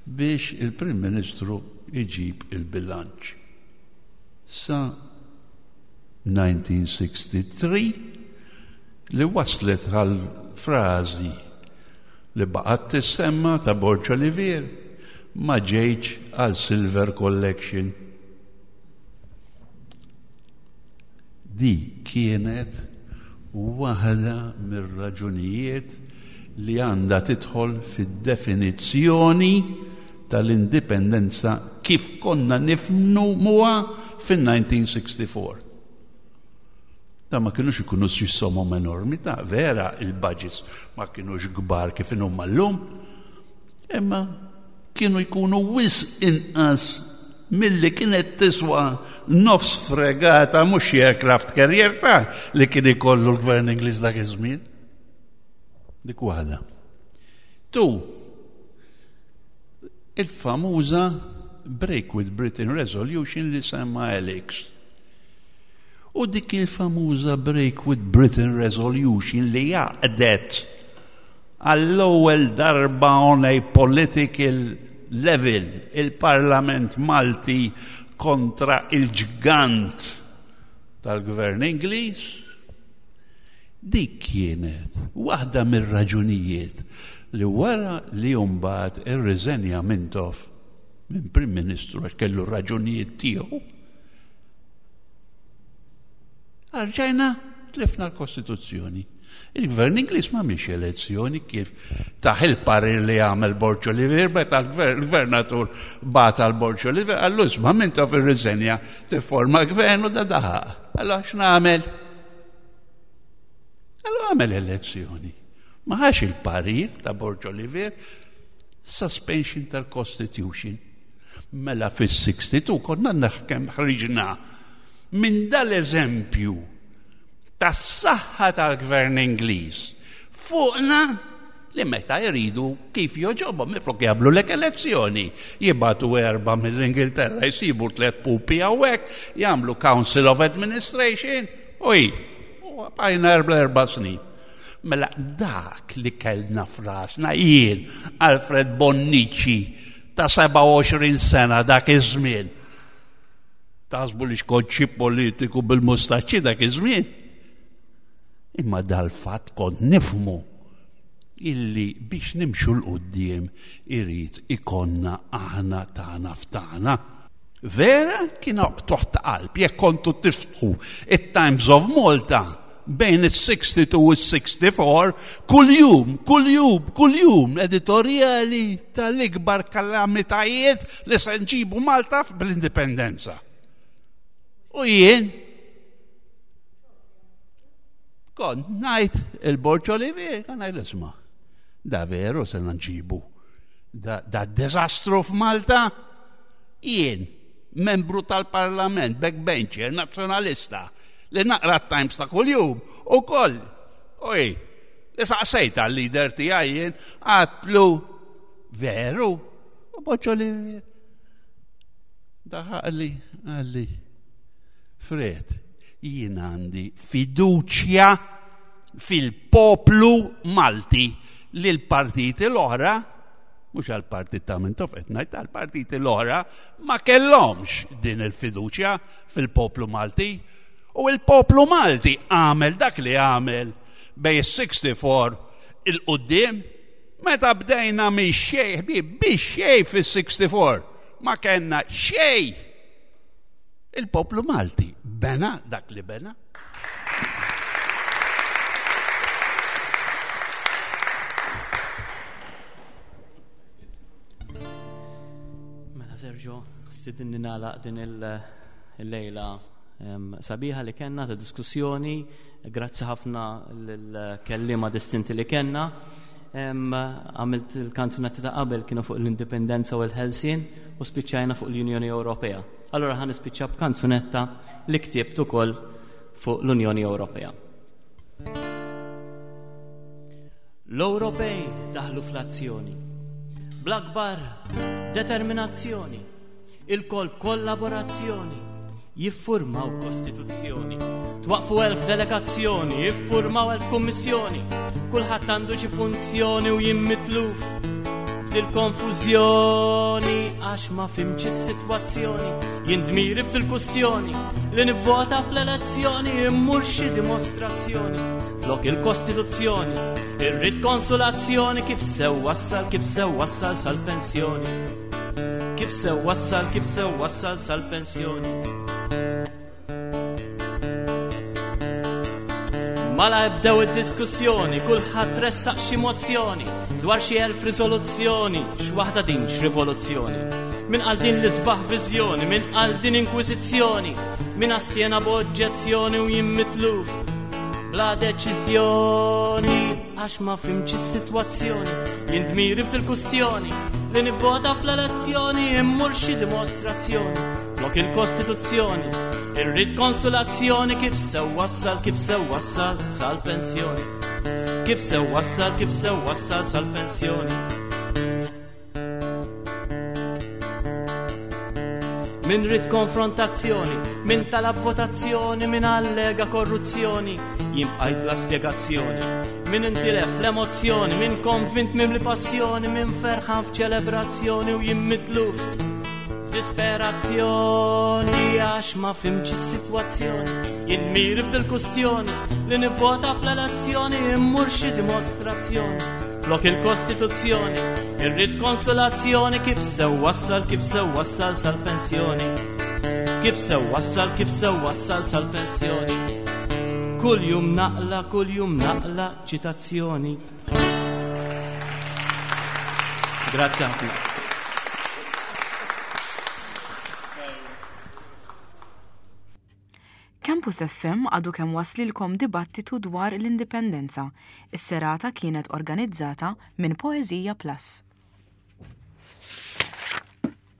biex il-Prim Ministru jġib il-bilanċ. Sa 1963 li waslet għal frażi li baqgħet tissemma ta' Borg Olivier ma ġejtx għal Silver Collection. Di kienet waħda mir-raġunijiet li għandha tidħol fid-definizzjoni tal-indipendenza kif konna nifhmuha fin-1964. Da ma kinux ikunu xi somom enormi, ta' vera il-budgets ma kinux kbar kif inhuma llum, imma kienu jkunu wisq inqas milli kienet tiswa nofs fregata mhux aircraft carrier ta' li kien ikollu l-gvern Ingliż dak iż-żmien. Dik waħda. Tu, il-famuża Break with Britain Resolution li semma Alex. U dik il-famuża Break with Britain Resolution li jaqdet għall-ewwel darba on a political level il-Parlament Malti kontra il-ġgant tal-Gvern Ingliż, dik kienet waħda mir-raġunijiet li wara li mbagħad irriżenja Mintoff minn Prim Ministru għax kellu raġunijiet tiegħu, Arġajna tlifna l-Kostituzzjoni. Il-gvern Ingliż ma miex elezzjoni kif taħ il-parir li għamel Borg Olivier, meta l-gvernatur bat għal Borg Olivier, għallu isma' minn taf ir-riżenja tifforma gvern u da daħaq. Allora x'nagħmel? Allora għamel elezzjoni. Ma ħax il-parir ta' Borg Olivier, suspension tal-Constitution. Mela fis-62 konna naħkem ħriġna minn dal-eżempju tas-saħħa tal-gvern Ingliż fuqna li meta jridu kif joġobhom minflok jagħmlu lek elezzjoni. Jibatu erba' mill-Ingilterra jsibu tliet pupi hawnhekk, jagħmlu Council of Administration u hi. U bqajna erba' erba' snin. Mela dak li kellna frasna jien Alfred Bonnici ta' 27 sena dak iż-żmien. Taħsbu li xkont xi politiku bil-mustaċċi dak iż-żmien. Imma dal-fatt kont nifmu illi biex nimxu l-qudiem irid ikonna aħna tagħna f'tagħna. Vera kien toħ ta' qalb jekk kontu tiftħu it-Times of Malta bejn is-62 u s-64 kuljum, kuljum, kuljum editorjali tal-ikbar kalamitajiet li se nġibu Malta bl-indipendenza. U jien kont ngħid il-Borġ Olivier, kan ngħid isma' da veru se nġibu da, da deżastru f'Malta jien membru tal-Parlament, backbencher, nazzjonalista, li naqra t-Times ta' kuljum ukoll. Oj, li saqsejt għal-leader tiegħi jien għatlu veru, u boċċo li Daħaqli, qalli, Fred, jien għandi fiduċja fil-poplu Malti li l-partiti l-oħra, mhux għall-partit ta' Mintoff qed ngħid, għall-partiti l-oħra ma kellhomx din il-fiduċja fil-poplu Malti. U l-poplu Malti għamel dak li għamel bej is-64 il-qudiem meta bdejna mix xejn ħbieb biex xejn fis-64 ma kellna xejn. Il-poplu Malti bena dak li bena. Mela Sergio, stidinni nagħlaq din il-lejla sabiħa li kellna ta' diskussjoni, grazzi ħafna l-kellima distinti li kellna. Għamilt il-kanzunetti ta' qabel kienu fuq l-indipendenza u l-ħelsien u spiċċajna fuq l-Unjoni Ewropea. Allora ħan nispiċċa b'kanzunetta li ktibt ukoll fuq l-Unjoni Ewropea. L-Ewropej daħlu fl-azzjoni. Bl-akbar determinazzjoni, ilkoll b'kollaborazzjoni, jiffurmaw kostituzzjoni. Twaqfu elf delegazzjoni, jiffurmaw elf kummissjoni, kulħadd għandu xi funzjoni u jien mitluf f'dil-konfużjoni għax ma fimx is-sitwazzjoni, jien dmiri f'dil-kustjoni li nivvota fl-elezzjoni immur xi dimostrazzjoni flok il-kostituzzjoni, irrid konsolazzjoni kif sew wassal kif sew wassal sal-pensjoni. Kif sew wassal kif sew wassal sal-pensjoni. Mala ebdew id-diskussjoni, kulħadd ressaq xi mozzjoni dwar xi elf riżoluzzjoni, x'waħda din x'rivoluzzjoni. Min qal din l-isbaħ viżjoni, min qal din inkwiżizzjoni, min astjena b'oġġezzjoni u jien mitluf bla deċiżjoni għax ma fimx is-sitwazzjoni, jien dmiri f'dil-kustjoni li nivvota fl-elezzjoni immur xi dimostrazzjoni flok il-Kostituzzjoni, irrid konsolazzjoni kif sew wassal kif sew wassal sal-pensjoni. Kif sew wassal kif sew wassal sal-pensjoni. Min rid konfrontazzjoni, min talab votazzjoni, min allega korruzzjoni, jien bqajt bla spjegazzjoni. Min intilef l-emozzjoni, min konvint mimli passjoni, min ferħan f'ċelebrazzjoni u jien mitluf f'disperazzjoni għax ma fimx is-sitwazzjoni. Jien miri f'dil-kustjoni li nivvota fl-elezzjoni immur xi dimostrazzjoni. Flok il-Kostituzzjoni, irrid konsolazzjoni kif sew wassal kif sew wassal sal-pensjoni. Kif sew wassal kif sew wassal sal-pensjoni. Kull jum naqla, kull jum naqla ċitazzjoni. Grazie ħafna. Campus FM għadu kemm waslilkom dibattitu dwar l-Indipendenza. Is-serata kienet organizzata minn Poeżija Plus.